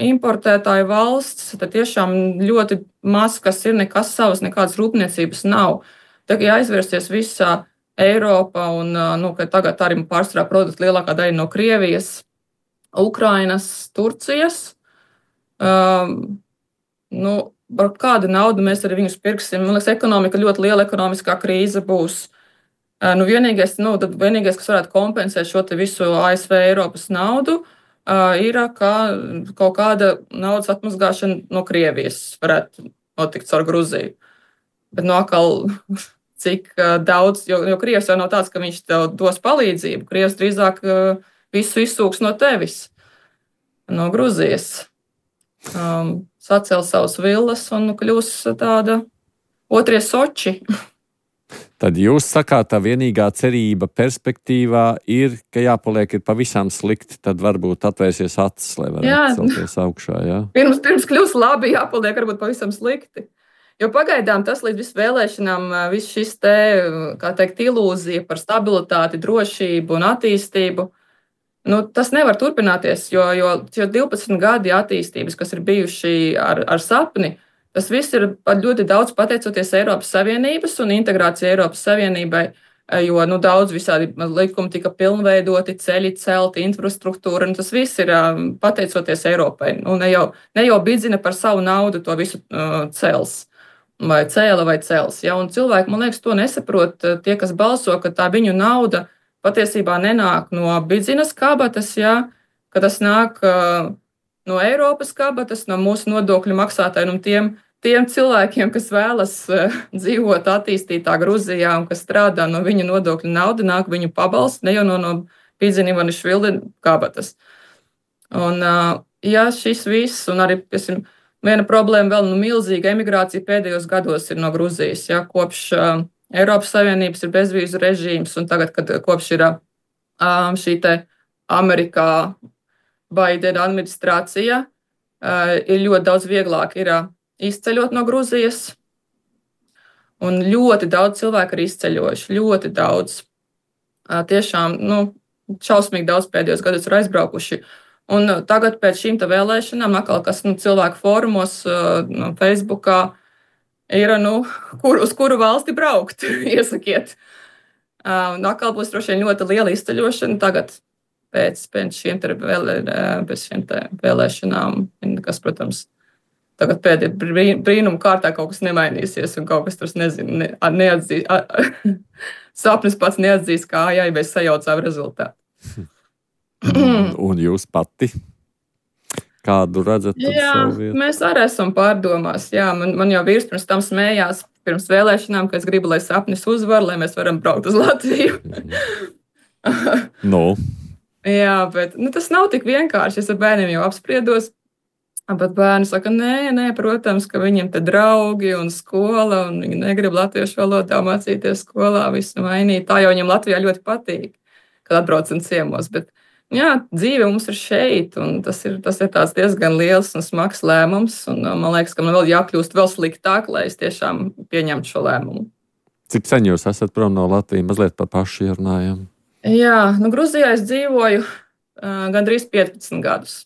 importētāja valsts, tad tiešām ļoti maz, kas ir, nekas savas, nekādas rūpniecības nav. Tagad aizvērsties visā Eiropā un tagad arī pārstrādā produkti lielākā daļa no Krievijas, Ukrainas, Turcijas. Par kādu naudu mēs arī viņus pirksim? Man liekas, ekonomika ļoti liela ekonomiskā krīze būs. Vienīgais, kas varētu kompensēt šo visu ASV Eiropas naudu, ir, ka kaut kāda naudas atmazgāšana no Krievijas varētu notikt caur Gruziju. Bet atkal, cik daudz, jo Krievs jau nav tāds, ka viņš tev dos palīdzību. Krievs drīzāk visu izsūks no tevis, no Gruzijas. Sacēl savus villas un kļūs tāda otrie Soči. Tad jūs sakāt, tā vienīgā cerība perspektīvā ir, ka jāpaliek ir pavisam slikti, tad varbūt atvērsies acis, lai varētu celties augšā. Jā? Pirms kļūs labi, jāpaliek varbūt pavisam slikti. Jo pagaidām tas līdz vēlēšanām, viss šis te, kā teikt, ilūzija par stabilitāti, drošību un attīstību, tas nevar turpināties, jo 12 gadi attīstības, kas ir bijuši ar sapni, tas viss ir ļoti daudz pateicoties Eiropas Savienības un integrācija Eiropas Savienībai, jo daudz visādi likumi tika pilnveidoti, ceļi celti, infrastruktūra, un tas viss ir pateicoties Eiropai. Ne jau bidzina par savu naudu to visu cels, vai cēla vai cels. Ja? Un cilvēki, man liekas, to nesaprot. Tie, kas balso, ka tā viņu nauda patiesībā nenāk no bidzinas kabatas, ja? Ka tas nāk no Eiropas kabatas, no mūsu nodokļu maksātājiem un tiem cilvēkiem, kas vēlas dzīvot attīstītā Gruzijā un kas strādā no viņu nodokļu nauda, nāk viņu pabalsts, ne jau no Bidzina Ivanišvili kabatas. Un, ja šis viss, un arī, piemēram, viena problēma vēl, milzīga emigrācija pēdējos gados ir no Gruzijas, ja, kopš Eiropas Savienības ir bezvīzu režīms, un tagad, kad kopš ir šī te Amerikā Baidena administrācija, ir ļoti daudz vieglāk ir izceļot no Gruzijas, un ļoti daudz cilvēku ir izceļojuši, ļoti daudz. Tiešām, šausmīgi daudz pēdējos gados ir aizbraukuši. Un tagad pēc šīm vēlēšanām, atkal, kas cilvēku fórumos, Facebookā, ir, uz kuru valsti braukt, iesakiet. Atkal būs droši vien ļoti liela izceļošana tagad pēc šiem vēlēšanām, kas, protams, tagad pēdējā brīnuma kārtā kaut kas nemainīsies un kaut kas tur, nezinu, neatzīs. Sapnis pats neatzīs, kā mēs sajaucām rezultātu. Un jūs pati? Kādu redzat tur Jā, savu vietu? mēs arī esam pārdomās. Jā, man jau vīrs pirms tam smējās, pirms vēlēšanām, ka es gribu, lai sapnis uzvar, lai mēs varam braukt uz Latviju. No. Jā, bet tas nav tik vienkārši. Es ar bērniem jau apspriedos. Bet bērni saka, nē, protams, ka viņiem te draugi un skola, un viņi negrib latviešu valodā mācīties skolā, visu mainīt. Tā jau viņiem Latvijā ļoti patīk, kad atbraucam ciemos. Bet, jā, dzīve mums ir šeit, un tas ir tāds diezgan liels un smags lēmums. Un, man liekas, ka man vēl jākļūst vēl sliktāk, lai es tiešām pieņemtu šo lēmumu. Cik sen jūs esat prom no Latvijas? Mazliet par pašu runājam. Jā, Gruzijā es dzīvoju gandrīz 15 gadus.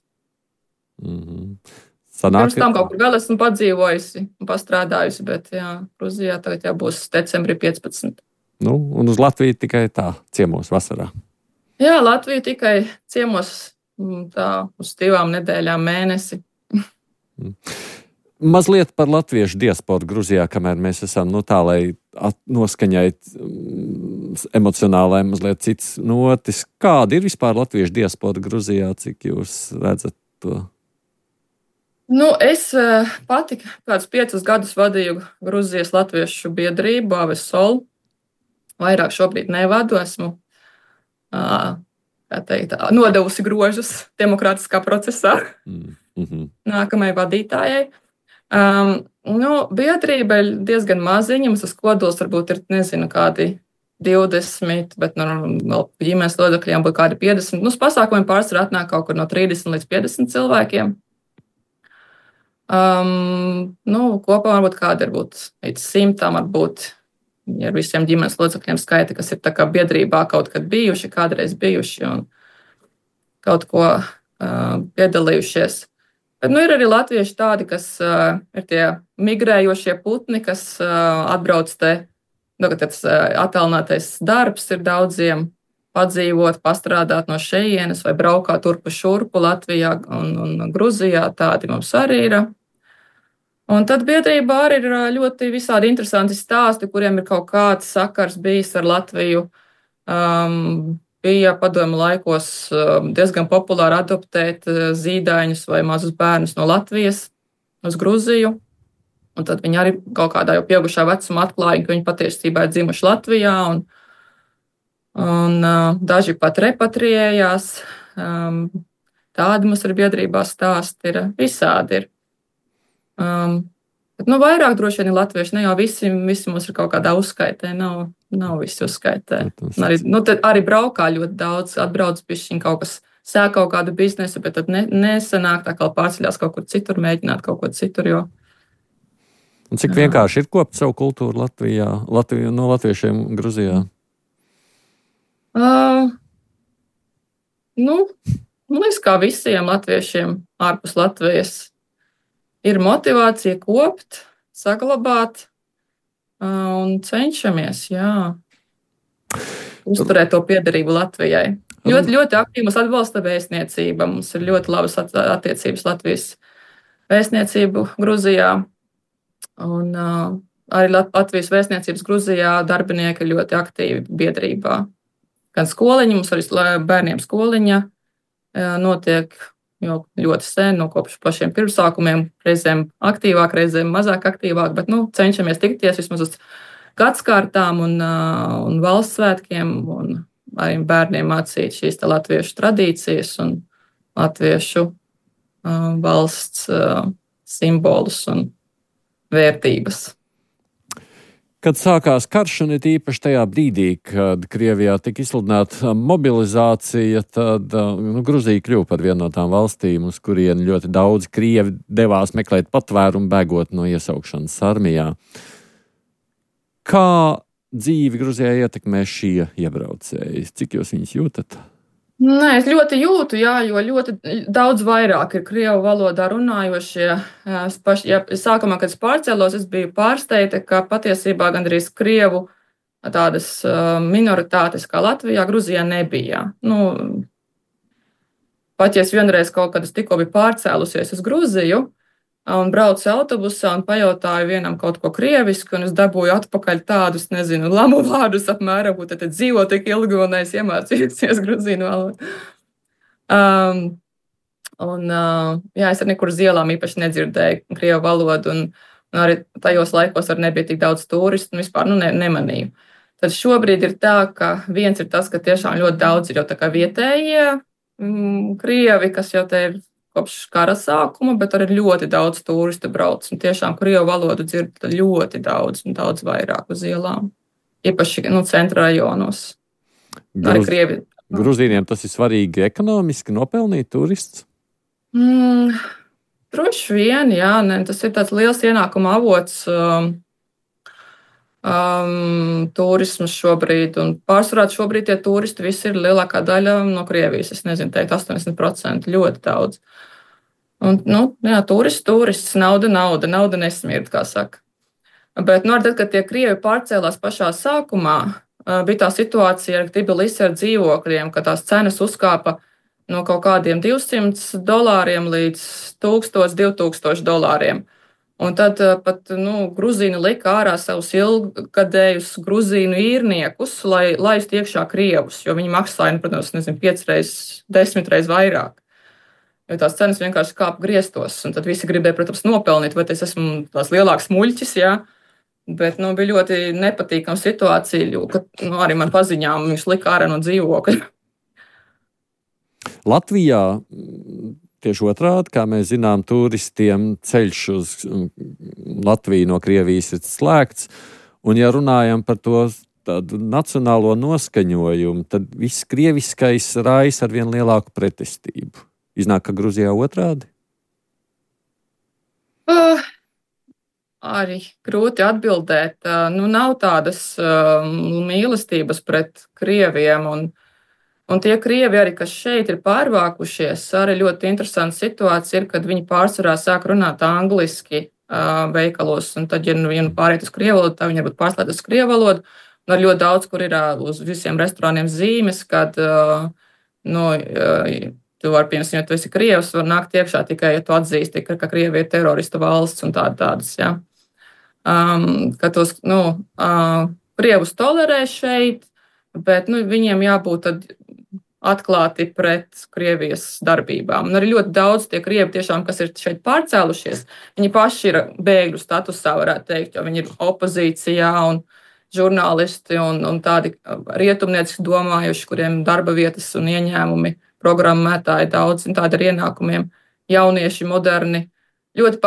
Pirms tam kaut kur vēl esmu padzīvojusi un pastrādājusi, bet Gruzijā tagad jau būs decembrī 15. Un uz Latviju tikai tā, ciemos vasarā? Jā, Latviju tikai ciemos tā uz 2 nedēļām mēnesi. Mazliet par latviešu diasporu Gruzijā, kamēr mēs esam tā, lai noskaņait emocionālai mazliet cits notis. Kāda ir vispār latviešu diaspora Gruzijā, cik jūs redzat to? Es pati kādus 5 gadus vadīju Gruzijas latviešu biedrību AVSOL. Vairāk šobrīd nevadu, esmu nodevusi grožus demokrātiskā procesā nākamajai vadītājai. Biedrība ir diezgan maziņa, mums tas kodols varbūt ir, nezinu, kādi 20, bet vēl ģimenes locekļiem būtu kādi 50. Uz pasākumiem pārsvarā atnāk kaut kur no 30 līdz 50 cilvēkiem. Kopā varbūt kādi ir līdz 100, varbūt ar visiem ģimenes locekļiem skaita, kas ir tā kā biedrībā kaut kad bijuši, kādreiz bijuši un kaut ko piedalījušies. Bet ir arī latvieši tādi, kas ir tie migrējošie putni, kas atbrauc te, tas attālinātais darbs ir daudziem padzīvot, pastrādāt no šejienes vai braukāt turpu šurpu Latvijā un Gruzijā, tādi mums arī ir. Un tad biedrībā arī ir ļoti visādi interesanti stāsti, kuriem ir kaut kāds sakars bijis ar Latviju. Bija padomu laikos diezgan populāri adoptēt zīdaiņus vai mazus bērnus no Latvijas uz Gruziju. Un tad viņi arī kaut kādā jau pieaugušā vecumā atklāja, ka viņi patiesībā ir dzimuši Latvijā. Un daži pat repatriējās. Tādi mums ir biedrībā stāsti, ir visādi. Bet vairāk droši vien ir latvieši. Ne jau visi mums ir kaut kādā uzskaitē, nav visi uzskaitē. Arī braukā ļoti daudz, atbrauc pišķiņ kaut kas, sāk kaut kādu biznesu, bet tad nesanāk tā kā pārceļās kaut kur citur, mēģināt kaut ko citur. Un cik vienkārši ir kopt savu kultūru Latvijā, no latviešiem Gruzijā? Man liekas, kā visiem latviešiem ārpus Latvijas ir motivācija kopt, saglabāt un cenšamies, uzturēt to piederību Latvijai. Ļoti, ļoti aktīvi mums atbalsta vēstniecība. Mums ir ļoti labas attiecības Latvijas vēstniecību Gruzijā. Un arī Latvijas vēstniecības Gruzijā darbinieki ir ļoti aktīvi biedrībā. Gan skoliņa, mums arī bērniem skoliņa notiek jau ļoti sen, kopš pašiem pirmsākumiem, reizēm aktīvāk, reizēm mazāk aktīvāk, bet cenšamies tikties vismaz uz gadskārtām un valsts svētkiem, un arī bērniem mācīt šīs latviešu tradīcijas un latviešu valsts simbolus un vērtības. Kad sākās karš, un it īpaši tajā brīdī, kad Krievijā tika izsludināta mobilizācija, tad Gruzija kļuva par vienu no tām valstīm, uz kurieni ļoti daudz krievi devās meklēt patvērumu, bēgot no iesaukšanas armijā. Kā dzīvi Gruzijā ietekmē šie iebraucēji? Cik jūs viņus jūtat? Nē, es ļoti jūtu, jo ļoti daudz vairāk ir krievu valodā runājošie. Sākumā, kad es pārcēlos, es biju pārsteigta, ka patiesībā gandrīz krievu tādas minoritātes kā Latvijā, Gruzijā nebija. Pat ja es vienreiz kaut kad tikko biju pārcēlusies uz Gruziju un braucu autobusā un pajautāju vienam kaut ko krievisku, un es dabūju atpakaļ tādus, lamu vārdus apmēram, ko tad dzīvo tik ilgi, un es iemācījusies gruzīnu valodu. Un, jā, es arī nekur uz ielām īpaši nedzirdēju krievu valodu, un arī tajos laikos arī nebija tik daudz turistu, un vispār nemanīju. Tad šobrīd ir tā, ka viens ir tas, ka tiešām ļoti daudz ir jau tā kā vietējie krievi, kas jau te ir kopš kara sākuma, bet arī ļoti daudz turistu brauc. Un tiešām krievu valodu dzird ļoti daudz un daudz vairāk uz ielām. Īpaši centra rajonos. Arī krievi. Gruzīniem tas ir svarīgi ekonomiski nopelnīt turists? Droši vien, jā. Tas ir tāds liels ienākuma avots turismas šobrīd. Un pārsvarā šobrīd tie turisti visi ir lielākā daļa no Krievijas. Es nezinu, teikt 80%, ļoti daudz. Un, jā, turists, nauda nesmird, kā saka. Bet, tad, kad tie krievi pārcēlās pašā sākumā, bija tā situācija ar Tbilisi ar dzīvokļiem, ka tās cenas uzkāpa no kaut kādiem $200 līdz $1000–2000. Un tad pat Gruzīni lika ārā savus ilgadējus gruzīnu īrniekus, lai laistu iekšā krievus, jo viņi maksāja, protams, 5 reizes, 10 reizes vairāk. Jo tās cenas vienkārši kāpa griestos, un tad visi gribēja, protams, nopelnīt, vai es esmu tās lielāks muļķis, jā. Bet bija ļoti nepatīkama situācija, jo arī man paziņām viņš lika ārā no dzīvokļa. Latvijā tieši otrādi, kā mēs zinām, turistiem ceļš uz Latviju no Krievijas ir slēgts, un ja runājam par to tādu nacionālo noskaņojumu, tad viss krieviskais raisa ar vien lielāku pretestību. Iznāk, ka Gruzijā otrādi? Arī grūti atbildēt. Nav tādas mīlestības pret krieviem, un tie krievi arī, kas šeit ir pārvākušies, arī ļoti interesanta situācija ir, kad viņi pārsvarā sāk runāt angliski veikalos, un tad, ja pāriet uz krievu valodu, tad viņi varbūt pārslēdz uz krievu valodu, un ar ļoti daudz, kur ir uz visiem restorāniem zīmes, kad, tu vari, piemēram, ja tu esi krievs, var nākt iekšā tikai, ja tu atzīsti, ka Krievija ir terorista valsts un tādas, jā. Ka tos, krievus tolerē šeit, bet, viņiem jābūt tad atklāti pret Krievijas darbībām. Un arī ļoti daudz tie krievi tiešām, kas ir šeit pārcēlušies, viņi paši ir bēgļu statusā, varētu teikt, jo viņi ir opozīcijā un žurnālisti un tādi rietumnieciski domājuši, kuriem darba vietas un ieņēmumi, programmētāji daudz, un tādi ar ienākumiem, jaunieši, moderni, ļoti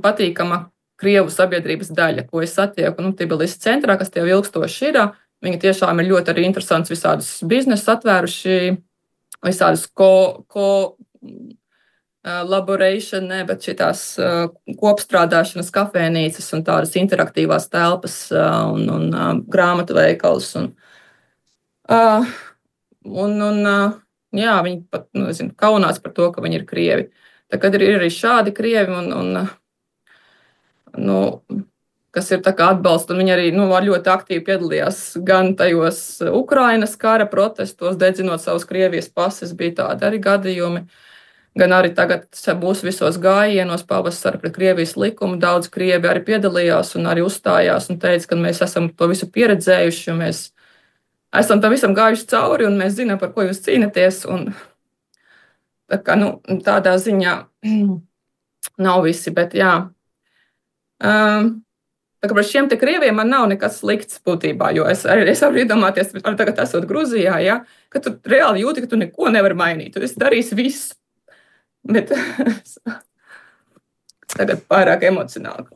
patīkama krievu sabiedrības daļa, ko es satieku Tbilisi centrā, kas tie ilgstoši ir. Viņi tiešām ir ļoti arī interesants visādus biznesus atvēruši, visādus collaboration, bet šitās kopstrādāšanas kafēnīcas un tādas interaktīvās telpas un grāmatu veikals. Jā, viņi pat kaunās par to, ka viņi ir krievi. Tad ir arī šādi krievi, kas ir tā kā atbalsta, un viņi arī ļoti aktīvi piedalījās gan tajos Ukrainas kara protestos, dedzinot savus Krievijas pases, bija tādi arī gadījumi, gan arī tagad būs visos gājienos pavasara pret Krievijas likumu. Daudz krievi arī piedalījās un arī uzstājās un teica, ka mēs esam to visu pieredzējuši, un mēs esam tam visam gājuši cauri, un mēs zinām, par ko jūs cīnaties. Tā kā, tādā ziņā nav visi, bet jā. Tā kā par šiem te krieviem man nav nekas slikts būtībā, jo es varu iedomāties, tagad esot Gruzijā, ja, ka tu reāli jūti, ka tu neko nevari mainīt. Tu esi darījis visu. Bet tagad pārāk emocionāli.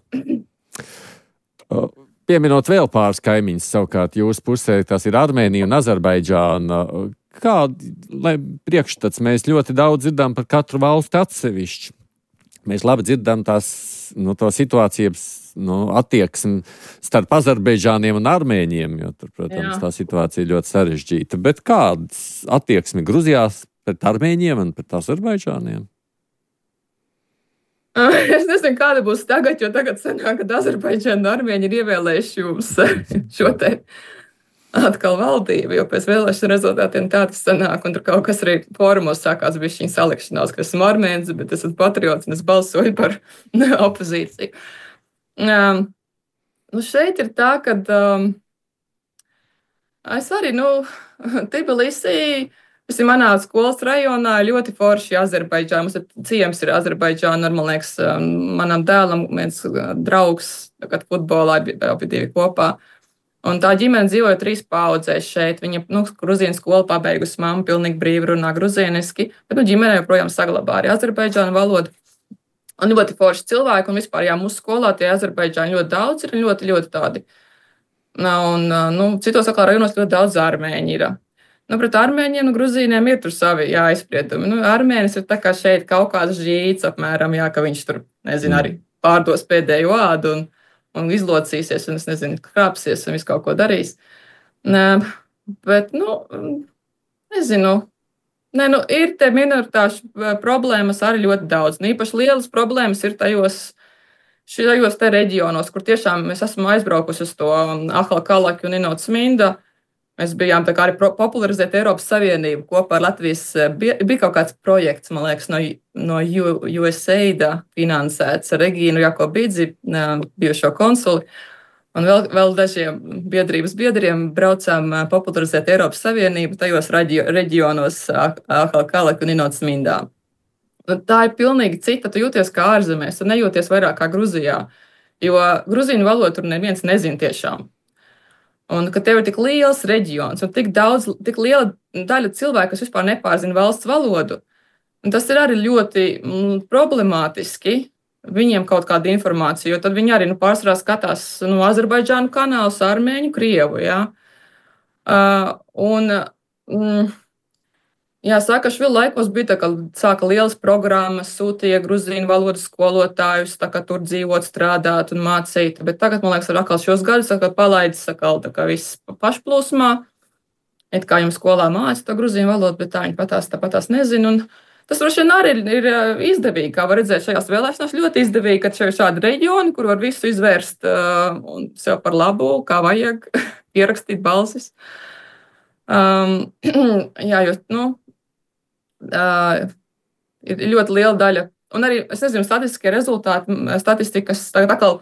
Pieminot vēl pāris kaimiņus, savukārt jūsu pusē tas ir Armēnija un Azerbaidžāna. Lai priekšstats mēs ļoti daudz dzirdam par katru valsti atsevišķi. Mēs labi dzirdam to situāciju, attieksmi starp Azerbaidžāniem un armēņiem, jo tur, protams, tā situācija ir ļoti sarežģīta. Bet kādas attieksmi Gruzijā pret armēņiem un pret Azerbaidžāniem? Es nezinu, kāda būs tagad, jo tagad sanāk, kad Azerbaidžāna un Armēņi ir ievēlējuši jums šo te atkal valdību, jo pēc vēlēšanu rezultātiem tā tas sanāk, un tur kaut kas arī fórumos sākās bišķiņ salikšanās, ka esmu armēns, bet esmu patriots un es balsoju par opozīciju. Šeit ir tā, ka es arī, Tbilisī Manā skolas rajonā ļoti forši Azerbaidžāna. Mums ir ciems ir Azerbaidžāna, man liekas, manam dēlam viens draugs, kad futbolā abi divi kopā. Un tā ģimene dzīvoja 3 paudzēs šeit. Viņa, gruzīnu skolu pabeigusi, mamma pilnīgi brīvi runā gruzīniski, bet, ģimene joprojām saglabā arī Azerbaidžānu valodu. Un ļoti forši cilvēki, un vispār, mūsu skolā tie Azerbaidžāni ļoti daudz ir, ļoti, ļoti tādi. Un, citos atkal rajonos ļoti daudz armēņi ir. Pret armēņiem, gruzīniem ir tur savi aizspriedumi. Armēnis ir tā kā šeit kaut kāds žīts apmēram, ka viņš tur, arī pārdos pēdējo ādu un izlocīsies, un es nezinu, krāpsies un visu kaut ko darīs. Bet, nezinu. Ir te minoritāšu problēmas arī ļoti daudz. Īpaši lielas problēmas ir šajos te reģionos, kur tiešām mēs esam aizbraukusi uz to Ahalkalaki un Inotsminda. Mēs bijām tā kā arī popularizēt Eiropas Savienību kopā ar Latvijas. Bija kaut kāds projekts, man liekas, no USAID finansēts ar Regīnu Jakobīdzi, bijušo konsuli. Un vēl dažiem biedrības biedriem braucām popularizēt Eiropas Savienību tajos reģionos Ahalkalaki un Inotsmindā. Tā ir pilnīgi cita. Tu jūties kā ārzemēs, tu nejūties vairāk kā Gruzijā, jo gruzīnu valodu tur neviens nezin tiešām. Un ka tev ir tik liels reģions un tik liela daļa cilvēku, kas vispār nepārzina valsts valodu, un tas ir arī ļoti problemātiski viņiem kaut kāda informācija, jo tad viņi arī pārsvarā skatās Azerbaidžānu kanālus, armēņu, krievu, Saakašvili laikos bija tā, ka sāka lielas programmas, sūtīja gruzīnu valodas skolotājus, tā kā tur dzīvot, strādāt un mācīt. Bet tagad, man liekas, ar atkal šos gadus palaidis tā kā viss pašplūsmā. It kā jums skolā māca to gruzīnu valodu, bet tā viņi patās nezina. Un tas droši vien arī ir izdevīgi, kā var redzēt šajās vēlēšanās, ļoti izdevīgi, ka šeit ir šādi reģioni, kur var visu izvērst un sev par labu, kā vajag, pierakstīt balsis. Ir ļoti liela daļa. Un arī, es nezinu, statistiskie rezultāti, statistikas tagad atkal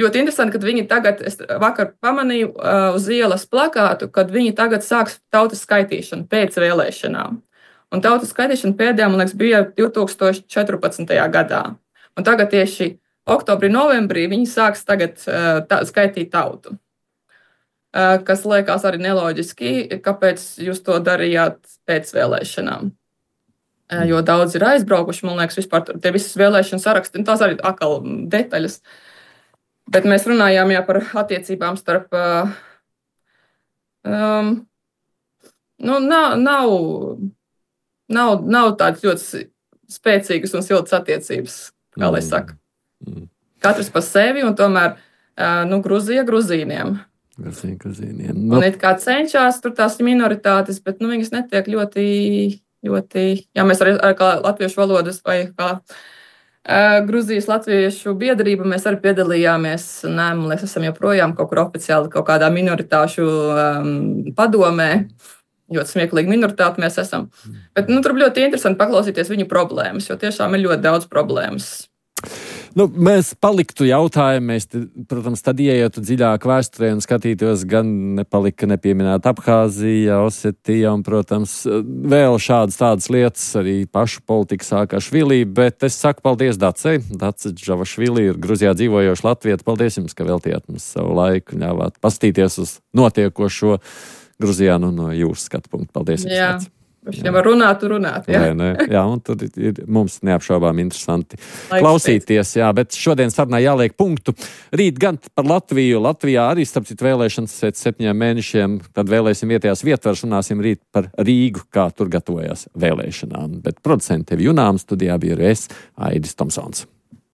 ļoti interesanti, kad viņi tagad, es vakar pamanīju uz ielas plakātu, kad viņi tagad sāks tautas skaitīšanu pēc vēlēšanām. Un tautas skaitīšana pēdējā, man liekas, bija 2014. gadā. Un tagad tieši oktobrī, novembrī viņi sāks tagad skaitīt tautu. Kas liekas arī neloģiski, kāpēc jūs to darījāt pēc vēlēšanām. Jo daudz ir aizbraukuši, man liekas, vispār tie visas vēlēšana saraksti, un tās arī atkal detaļas. Bet mēs runājām par attiecībām starp, nav tādas ļoti spēcīgas un siltas attiecības, kā lai saka. Katrs pa sevi, un tomēr, Gruzija gruzīniem. Gruzīniem. Un it kā cenšas tur tās minoritātes, bet viņas netiek ļoti, mēs arī kā latviešu valodas vai kā Gruzijas latviešu biedrība, mēs arī piedalījāmies, man liekas, esam joprojām kaut kur oficiāli kaut kādā minoritāšu padomē, ļoti smieklīgi minoritāti mēs esam. Bet tur ļoti interesanti paklausīties viņu problēmas, jo tiešām ir ļoti daudz problēmas. Mēs paliktu jautājumu, mēs, protams, tad ieietu dziļāk vēsturē un skatītos, gan nepalika nepieminēta Abhāzija, Osetija un, protams, vēl tādas lietas, arī pašu politika Saakašvili, bet es saku paldies Dacei. Dace Džavašvili ir Gruzijā dzīvojoša latvieta. Paldies jums, ka veltījāt mums savu laiku, ļāvāt pastīties uz notiekošo Gruzijā no jūsu skatu punktu. Paldies jums. Ja var runāt. Jā, un tur ir mums neapšaubām interesanti klausīties, bet šodien sarunā jāliek punktu. Rīt gan par Latviju. Latvijā arī, starp citu, vēlēšanas pēc 7 mēnešiem, tad vēlēsim vietējās vietvaras, runāsim rīt par Rīgu, kā tur gatavojas vēlēšanām. Bet producenti tevi Junām studijā bija es, Aidis Tomsons.